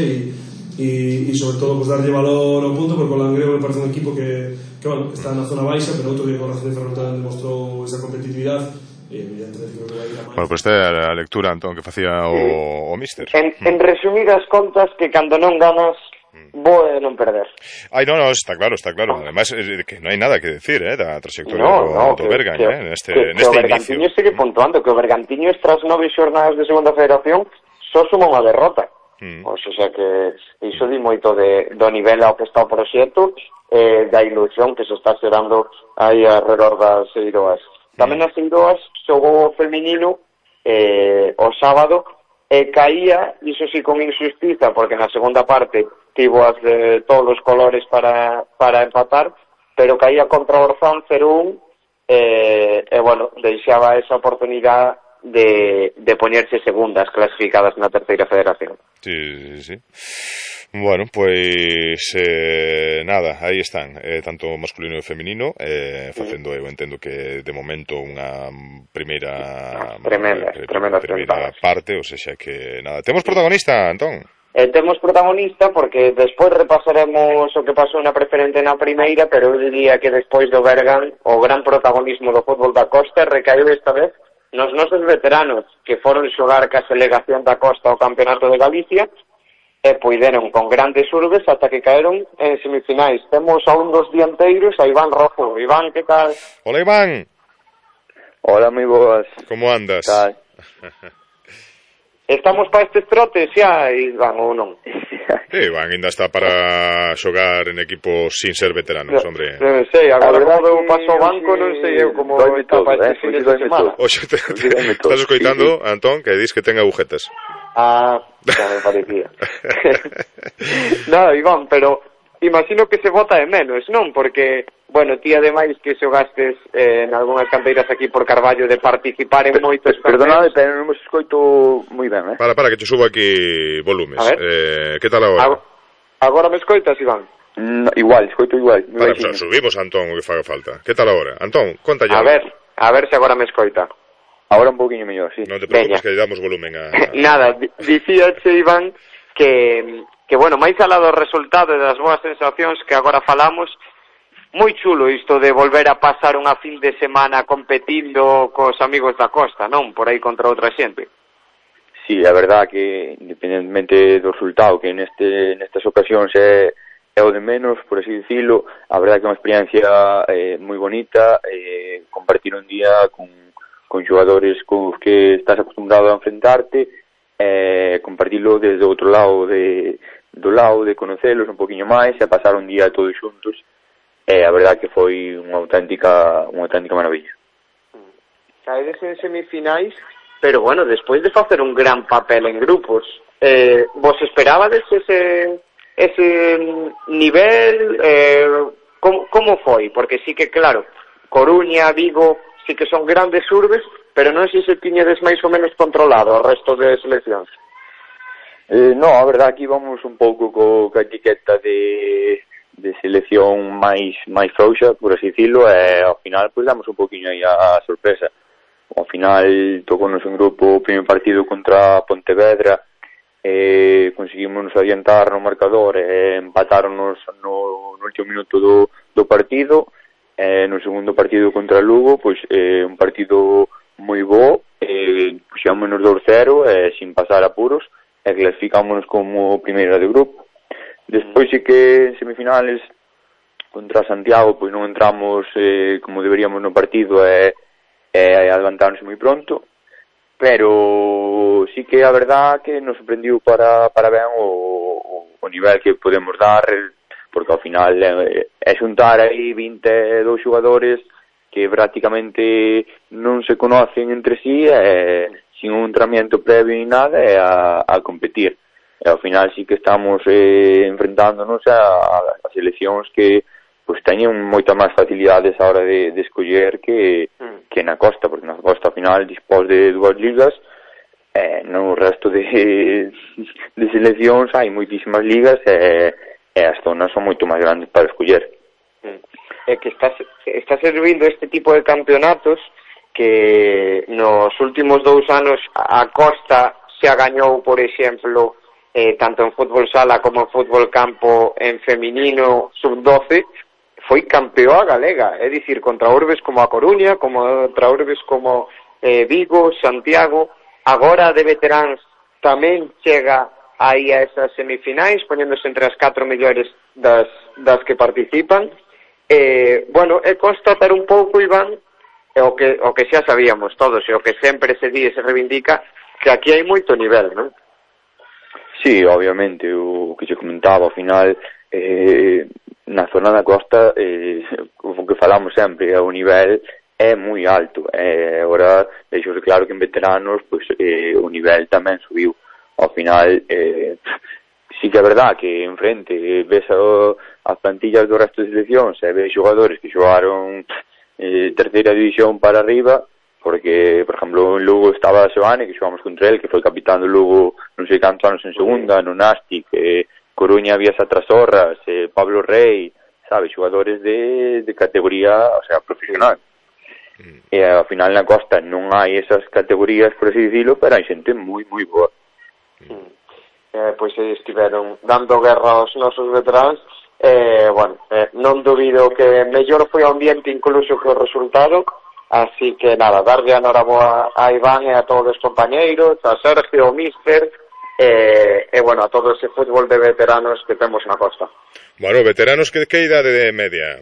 e sobre todo pues, darlle valor ao punto, porque o Langreo me parece un equipo que bueno, está na zona baixa, pero outro día con a Racing de Ferrol tamén demostrou esa competitividade. Bueno, pues esta é a lectura, Antón, que facía o míster. En resumidas contas, que cando non ganas bo é non perder. Ai, no, está claro. Además, que non hai nada que decir, da trayectoria do Bergan, neste inicio. Que o Bergantiño segue puntuando, que o Bergantiño tras 9 xornadas de segunda federación só suma unha derrota. O sea que iso di moito do nivel ao que está o proxecto, da ilusión que se está xerando aí alrededor das Eiroas. Tamén as Eiroas xogou o feminino o sábado e caía, iso sí con injustiza, porque na segunda parte tivo as de todos os colores para empatar, pero caía contra o Orzán 0-1 e bueno, deixaba esa oportunidade de poñerse segundas clasificadas na terceira federación. Sí. Bueno, pues nada, aí están, tanto masculino e feminino, facendo, eu entendo que de momento unha primeira parte, ou seja que nada. Temos protagonista, Antón? Temos protagonista porque despois repasaremos o que pasou na preferente na primeira, pero eu diría que despois do Bergan o gran protagonismo do fútbol da Costa recaeu esta vez nos nosos veteranos que foron xogar ca delegación da Costa ao Campeonato de Galicia e puideron con grandes urbes ata que caeron en semifinais. Temos a un dos dianteiros, a Iván Rojo. Iván, que tal? Hola, Iván. Hola, moi boas. Como andas? Tal. Estamos para estes trotes xa, Iván, ou non? Iván ainda está para xogar en equipos sin ser veteranos, hombre. Non sei, agora como eu paso o banco, non sei eu como está para este fin de semana. Oxe, estás escoitando, Antón, que dis que ten agujetas. Ya me parecía. Nada, Iván, pero imagino que se vota de menos, non? Porque, bueno, ti ademais que xogastes en algunhas canteiras aquí por Carballo de participar en moitos... Perdonade, pero non me escoito moi ben, Para, que te subo aquí volumes. Que tal agora? Agora me escoitas, Iván? Igual, escoito igual. Para, subimos, Antón, o que faga falta. Que tal agora? Antón, conta ya. A ver se agora me escoita. Ahora un poquinho mellor, sí. Non te preocupes, que lle damos volumen a... Nada, dicíache, Iván, que bueno, máis alá do resultado e das boas sensacións que agora falamos, moi chulo isto de volver a pasar unha fin de semana competindo cos amigos da Costa, non? Por aí contra outra xente. Sí, a verdad que, independentemente do resultado, que nestas ocasións é o de menos, por así dicilo, a verdad que é unha experiencia moi bonita, compartir un día con xogadores cos que estás acostumbrado a enfrentarte, compartilo desde outro lado do lado de conocelos un poquinho máis e pasar un día todos xuntos. A verdad que foi unha auténtica maravilla. Caedes en semifinais, pero bueno, despois de facer un gran papel en grupos, vos esperabades ese nivel? Como foi? Porque sí que, claro, Coruña, Vigo, sí que son grandes urbes, pero non sei se tiñedes máis ou menos controlado o resto de seleccións. No, a verdad que íbamos un pouco coa etiqueta de selección máis frouxa, por así dicilo, e ao final pues damos un poquinho aí a sorpresa. Ao final tocounos un grupo o primeiro partido contra Pontevedra, conseguimos adiantar no marcador e empatáronos no último minuto do partido. No segundo partido contra Lugo, pois un partido moi bo, puxámonos 2-0 sin pasar apuros e clasificámonos como primeira de grupo. Despois sí que en semifinales contra Santiago pois non entramos como deberíamos no partido e adelantáronse moi pronto, pero sí que a verdad que nos sorprendiu para ben o nivel que podemos dar, porque ao final é xuntar aí 22 xogadores que prácticamente non se conocen entre sí, sin un entrenamiento previo ni nada, a competir. E ao final sí que estamos enfrentándonos a seleccións que pues teñen moita máis facilidades a hora de escoller que na Costa, porque na Costa ao final dispós de 2 ligas no resto de seleccións hai moitísimas ligas e as zonas son moito máis grandes para escoller. É que está servindo este tipo de campeonatos que nos últimos 2 anos a Costa se gañou, por exemplo, tanto en fútbol sala como en fútbol campo en feminino sub-12, foi campeoa galega, é dicir, contra urbes como a Coruña, contra urbes como Vigo, Santiago. Agora de veteráns tamén chega aí a esas semifinais, poñéndose entre as 4 mellores das que participan. Bueno, é constatar un pouco, Iván, o que xa sabíamos todos, e o que sempre se di e se reivindica, que aquí hai moito nivel, non? Sí, obviamente, o que se comentaba ao final, na zona da costa, o que falamos sempre, o nivel é moi alto. Agora, deixouse claro que en veteranos, pois, o nivel tamén subiu. Ao final, sí que é verdad que enfrente ves as plantillas do resto de seleccións e ves xogadores que xogaron terceira división para arriba, porque, por exemplo, en Lugo estaba Xoane, que xogamos contra el, que foi capitán do Lugo non sei cantos anos en segunda, no Nastic, Coruña había Satrasorras, Pablo Rey, sabe, xogadores de categoría, o sea, profesional. E ao final na costa non hai esas categorías, por así dicilo, pero hai xente moi, moi boa. Pois estiveron dando guerra aos nosos veteráns. Bueno, non dubido que mellor foi o ambiente incluso que o resultado, así que nada, darlle a noraboa a Iván e a todos os compañeiros, a Sergio, o Míster, e bueno, a todo ese fútbol de veteranos que temos na costa. Bueno, veteranos, que idade de media?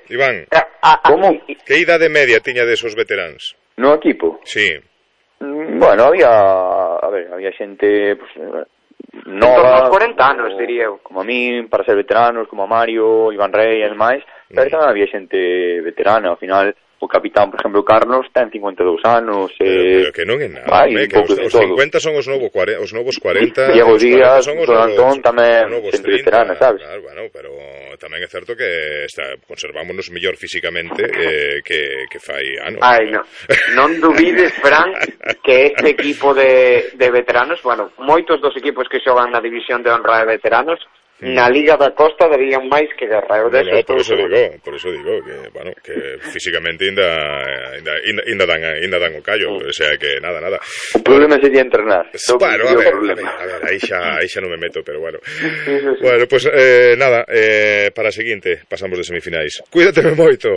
Iván, como? Que idade media tiña desos veteráns? No equipo? Sí. Bueno, había xente, pues, nova, 40 anos, diría eu. Como a mí, para ser veteranos, como a Mario, Iván Rey e demais, pero tamén había xente veterana. Ao final, o capitán, por exemplo, Carlos, ten 52 anos. Pero que non é nada, que os 50 son os novos 40. Diego Díaz, Don Antón tamén xente veterana, sabes? Claro, bueno, pero tamén é certo que conservámonos mellor físicamente que fai anos. Ai, non dubides, Fran, que este equipo de veteranos, bueno, moitos dos equipos que xogan na división de honra de veteranos, na Liga da Costa darían máis que guerra. Por eso digo que, bueno, que físicamente ainda dan o callo, o sea que nada. O problema sería entrenar. Bueno, a ver, aí xa non me meto, pero bueno. Bueno, pues nada, para a seguinte pasamos de semifinais. Cuídateme moito.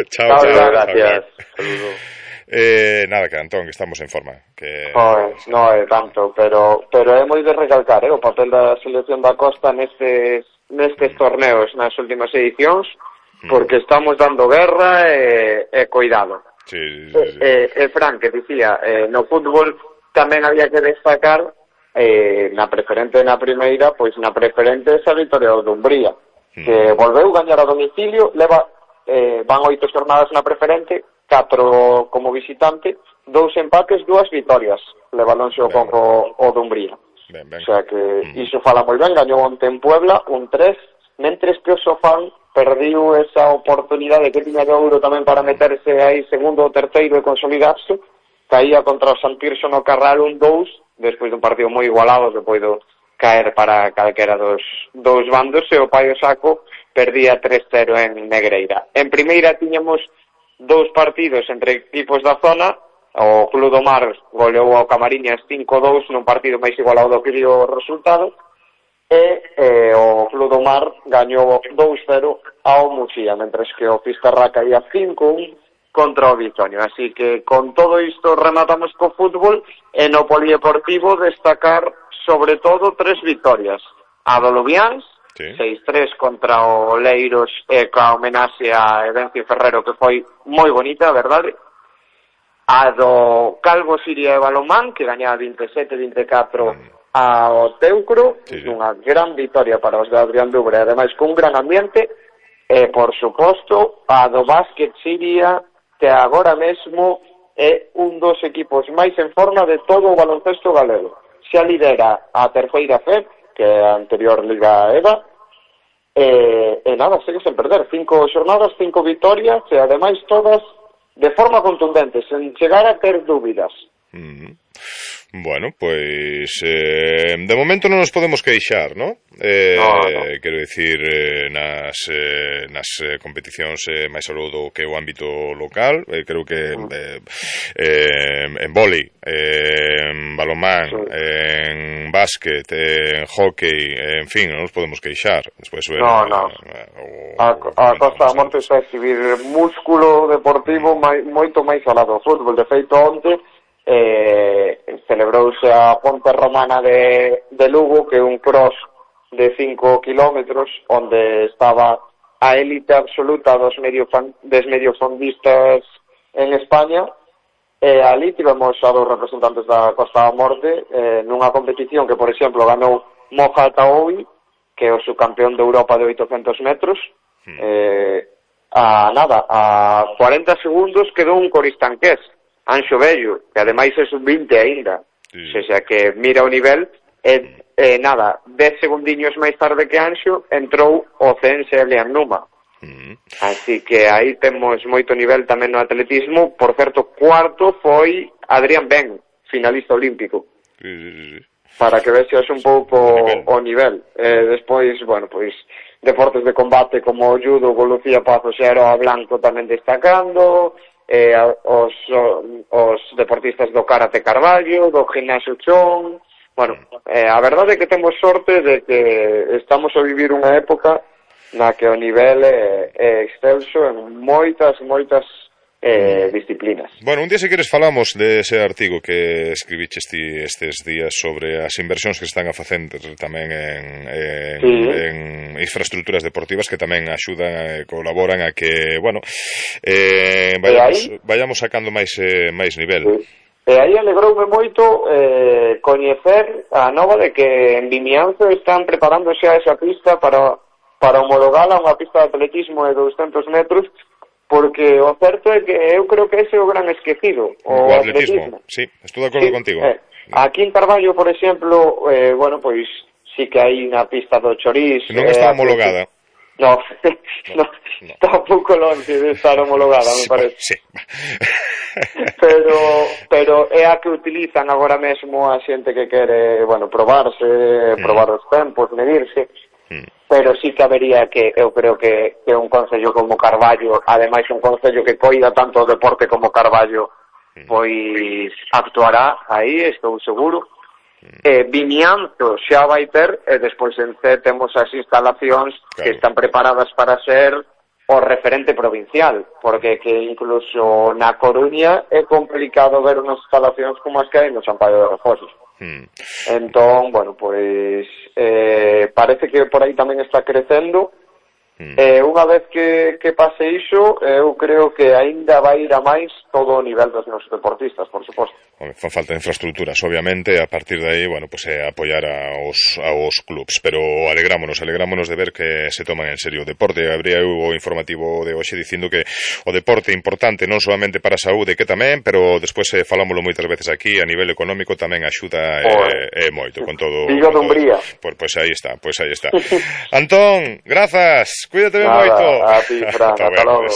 Chao. Gracias. Saludos. Nada, que Antón, que estamos en forma Pois, non é tanto, pero é moi de recalcar o papel da selección da Costa nestes torneos, nas últimas edicións, porque estamos dando guerra e cuidado. Sí. Fran, que dicía, no fútbol tamén había que destacar na preferente na primeira, pois na preferente esa victoria do Dumbría, que volveu gañar a domicilio, van 8 jornadas na preferente, 4 como visitante, 2 empates, 2 vitorias leváronse o Conco o Dumbría. O sea que iso fala moi ben. Gañou onte en Puebla un 3, mentres que o Sofán perdiu esa oportunidade que tiña de ouro tamén para meterse aí segundo ou terceiro e consolidarse. Caía contra o Sant Tirso no Carral un 2, despois dun partido moi igualado que poido caer para calquera dos bandos, e o Paio Saco perdía 3-0 en Negreira. En primeira tiñamos 2 partidos entre equipos da zona. O Club do Mar goleou ao Camariñas 5-2 nun partido máis igualado do que dio o resultado, e o Club do Mar gañou 2-0 ao Muxía, mentres que o Fisterra caía 5-1 contra o Bitonio. Así que con todo isto rematamos co fútbol, e no polideportivo destacar sobre todo 3 victorias. A do Lubiáns, 6-3 contra o Leiros, e coa homenaxe a Edencio Ferrero, que foi moi bonita, a verdade. A do Calvo Siria e Balomán, que gañaba 27-24 ao Teucro, unha gran victoria para os de Adrián Dubre, ademais con un gran ambiente. E, por suposto, a do Básquet Siria, que agora mesmo é un dos equipos máis en forma de todo o baloncesto galego. Xa lidera a terceira FEP, que é a anterior Liga EVA, e nada, segue sen perder. 5 xornadas, 5 vitorias, e ademais todas de forma contundente, sen chegar a ter dúbidas. Bueno, pois de momento non nos podemos queixar, ¿no? Quero dicir, nas competicións máis aló do que o ámbito local, creo que en vólei, en balonmán, en básquet, en hockey, en fin, non nos podemos queixar. Despois, a Costa da Morte está a exhibir músculo deportivo moito máis alá do fútbol. De feito, onte celebrouse a Ponte Romana de Lugo, que é un cross de 5 kilómetros, onde estaba a élite absoluta dos mediofondistas en España, e ali tivemos a dos representantes da Costa da Morte nunha competición que, por exemplo, ganou Moja Taoui, que é o subcampeón de Europa de 800 metros. A 40 segundos quedou un coristanqués, Anxo Bello, que ademais é sub-20 aínda. O sea que mira o nivel, 10 segundiños máis tarde que Anxo entrou o ceense Elian Numa. Así que aí temos moito nivel tamén no atletismo. Por certo, cuarto foi Adrián Ben, finalista olímpico. Para que vexas un pouco o nivel. Despois, bueno, pois deportes de combate como o judo, con Lucía Pazos e Aroa Blanco tamén destacando, os deportistas do karate Carballo, do gimnasio Chón. Bueno, a verdade é que temos sorte de que estamos a vivir unha época na que o nivel é excelso en moitas disciplinas. Bueno, un día se queres falamos de ese artigo que escribiches ti estes días sobre as inversións que están a facer tamén en infraestructuras deportivas, que tamén axudan e colaboran a que, bueno, vayamos sacando máis nivel. E aí alegroume moito coñecer a nova de que en Vimianzo están preparando xa esa pista para homologala unha pista de atletismo de 200 metros, porque o certo é que eu creo que ese é o gran esquecido, o atletismo. Sí, estou de acordo contigo. Aquí en Carballo, por exemplo, bueno, pois sí que hai unha pista do Choriz. Non está homologada. No, está un pouco longe de estar homologada, me parece. Sí. Pero é a que utilizan agora mesmo a xente que quere, bueno, probar os tempos, medirse. Pero sí que habería que, eu creo que un concello como Carballo, ademais un concello que coida tanto o deporte como Carballo, pois actuará aí, estou seguro. Vimianzo xa vai ter, e despois en C temos as instalacións que están preparadas para ser o referente provincial, porque que incluso na Coruña é complicado ver unhas instalacións como as que hai no Sampaio de Refosos. Entón, bueno, pois parece que por aí tamén está crecendo. Unha vez que pase iso, eu creo que aínda vai ir a máis todo o nivel dos nosos deportistas, por suposto. Fan falta de infraestructuras, obviamente, a partir de aí, bueno, pues apoiar aos clubs, pero alegrámonos de ver que se toman en serio o deporte. Habría o informativo de hoxe dicindo que o deporte é importante non solamente para a saúde, que tamén, pero despois falámoslo moitas veces aquí, a nivel económico tamén axuda moito con todo. Vigo de Umbría. Pois aí está. Antón, grazas. Cuídate ben moito. A ti, Fran, ata logo.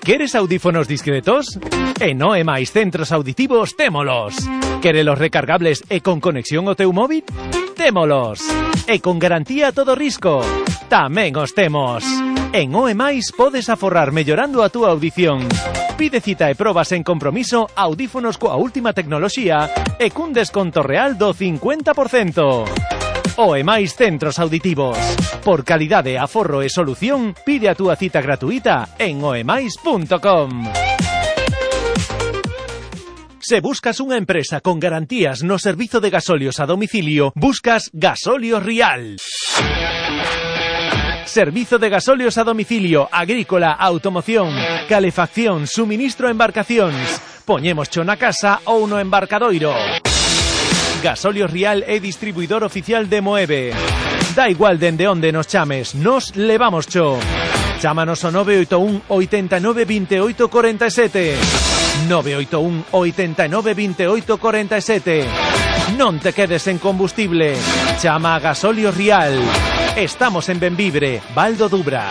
¿Queres audífonos discretos? En OEMAIS Centros Auditivos témolos. ¿Querelos recargables e con conexión ao teu móvil? Témolos. E con garantía a todo risco. Tamén os temos. En OEMAIS podes aforrar mellorando a túa audición. Pide cita e probas en compromiso audífonos coa última tecnoloxía e cun desconto real do 50%. OEMAIS Centros Auditivos. Por calidade, aforro e solución, pide a túa cita gratuita en oemais.com. Se buscas unha empresa con garantías no servizo de gasolios a domicilio, buscas Gasolios Rial. Servizo de gasolios a domicilio, agrícola, automoción, calefacción, suministro a embarcacións. Poñémoscho na casa ou no embarcadoiro. Gasolios Rial é distribuidor oficial de Moeve. Da igual dende onde nos chames, nos levamos cho. Chámanos ao 981 89 28 47. 981 89 28 47. Non te quedes en combustible. Chama a Gasóleo Rial. Estamos en Benvibre, Val do Dubra.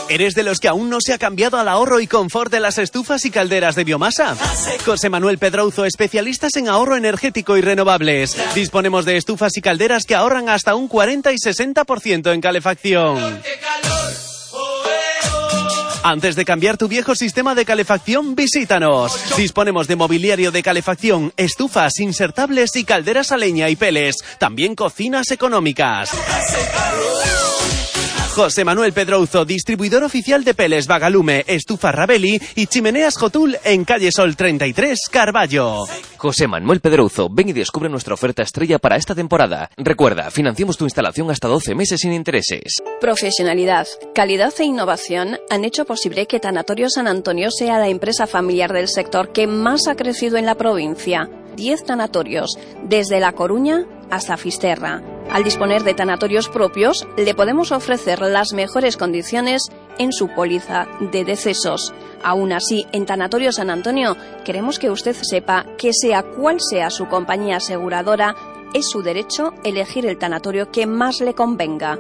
¿Eres de los que aún no se ha cambiado al ahorro y confort de las estufas y calderas de biomasa? José Manuel Pedrouzo, especialistas en ahorro energético y renovables. Disponemos de estufas y calderas que ahorran hasta un 40 y 60% en calefacción. Antes de cambiar tu viejo sistema de calefacción, visítanos. Disponemos de mobiliario de calefacción, estufas insertables y calderas a leña y peles. También cocinas económicas. José Manuel Pedrouzo, distribuidor oficial de peles Vagalume, estufas Rabelli y chimeneas Jotul en calle Sol 33, Carballo. José Manuel Pedrouzo, ven y descubre nuestra oferta estrella para esta temporada. Recuerda, financiamos tu instalación hasta 12 meses sin intereses. Profesionalidad, calidad e innovación han hecho posible que Tanatorio San Antonio sea la empresa familiar del sector que más ha crecido en la provincia. 10 tanatorios, desde La Coruña hasta Fisterra. Al disponer de tanatorios propios, le podemos ofrecer las mejores condiciones en su póliza de decesos. Aún así, en Tanatorio San Antonio, queremos que usted sepa que sea cual sea su compañía aseguradora, es su derecho elegir el tanatorio que más le convenga.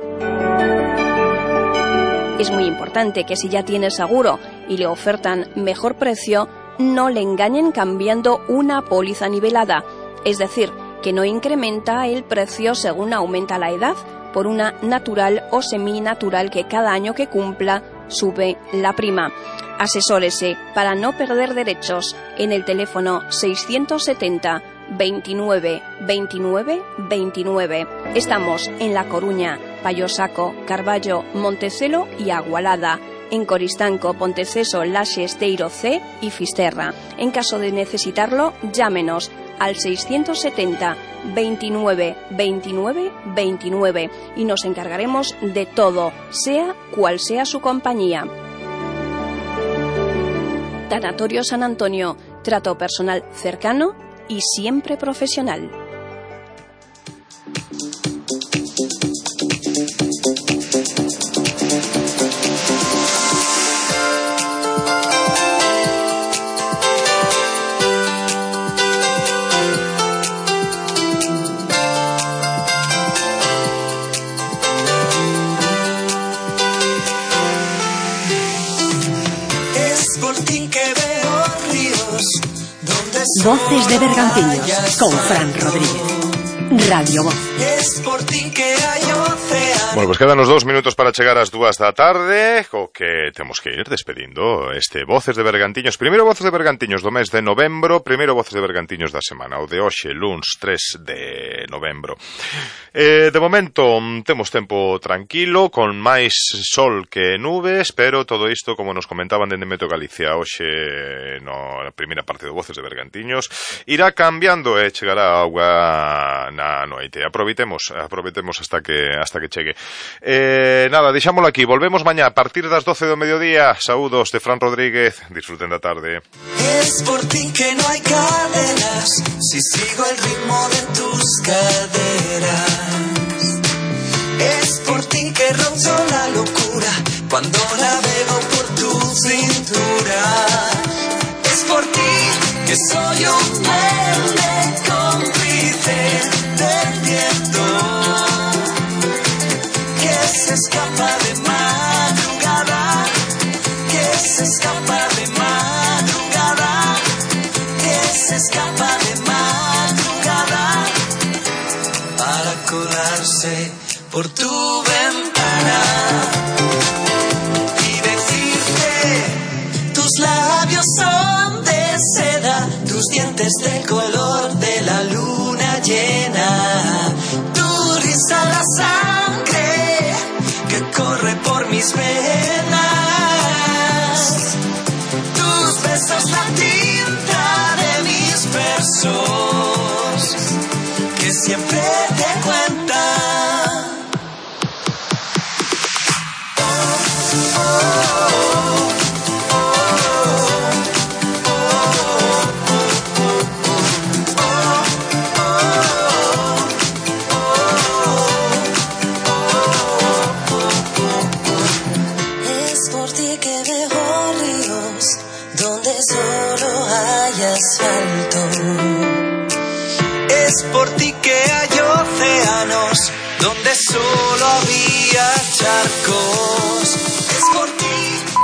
Es muy importante que si ya tiene seguro y le ofertan mejor precio, no le engañen cambiando una póliza nivelada, es decir, que no incrementa el precio según aumenta la edad, por una natural o seminatural que cada año que cumpla sube la prima. Asesórese para no perder derechos en el teléfono 670 29 29 29. Estamos en La Coruña, Payosaco, Carballo, Montecelo y Agualada. En Coristanco, Ponteceso, Laxe, Esteiro C y Fisterra. En caso de necesitarlo, llámenos al 670 29 29 29 y nos encargaremos de todo, sea cual sea su compañía. Tanatorio San Antonio, trato personal cercano y siempre profesional. Voces de Bergantiños con Fran Rodríguez. Radio Voz. Bueno, pues quedan os 2 minutos para chegar ás 2 da tarde, o que temos que ir despedindo este Voces de Bergantiños. Primeiro Voces de Bergantiños do mes de novembro, primeiro Voces de Bergantiños da semana, o de hoxe, luns 3 de novembro. De momento temos tempo tranquilo, con máis sol que nubes, pero todo isto, como nos comentaban dende Meteo Galicia hoxe na primeira parte do Voces de Bergantiños, irá cambiando e chegará a auga na noite. Aproveitemos hasta que chegue. Nada, deixámolo aquí. Volvemos mañá a partir das 12 do mediodía. Saúdos de Fran Rodríguez. Disfruten da tarde. Es por ti que no hay cadenas, si sigo el ritmo de tus caderas. Es por ti que rozo la locura cuando navego por tu cintura. Es por ti que soy un verde cómplice del viento que se escapa de madrugada, que se escapa de madrugada, que se escapa de madrugada para colarse por tu ventana y decirte: tus labios son de seda, tus dientes del color de la luna llena, tu risa la sangre que corre por mis venas, tus besos la tinta de mis versos que siempre te cuentan. por ti que hay océanos donde solo había charcos. Es por ti.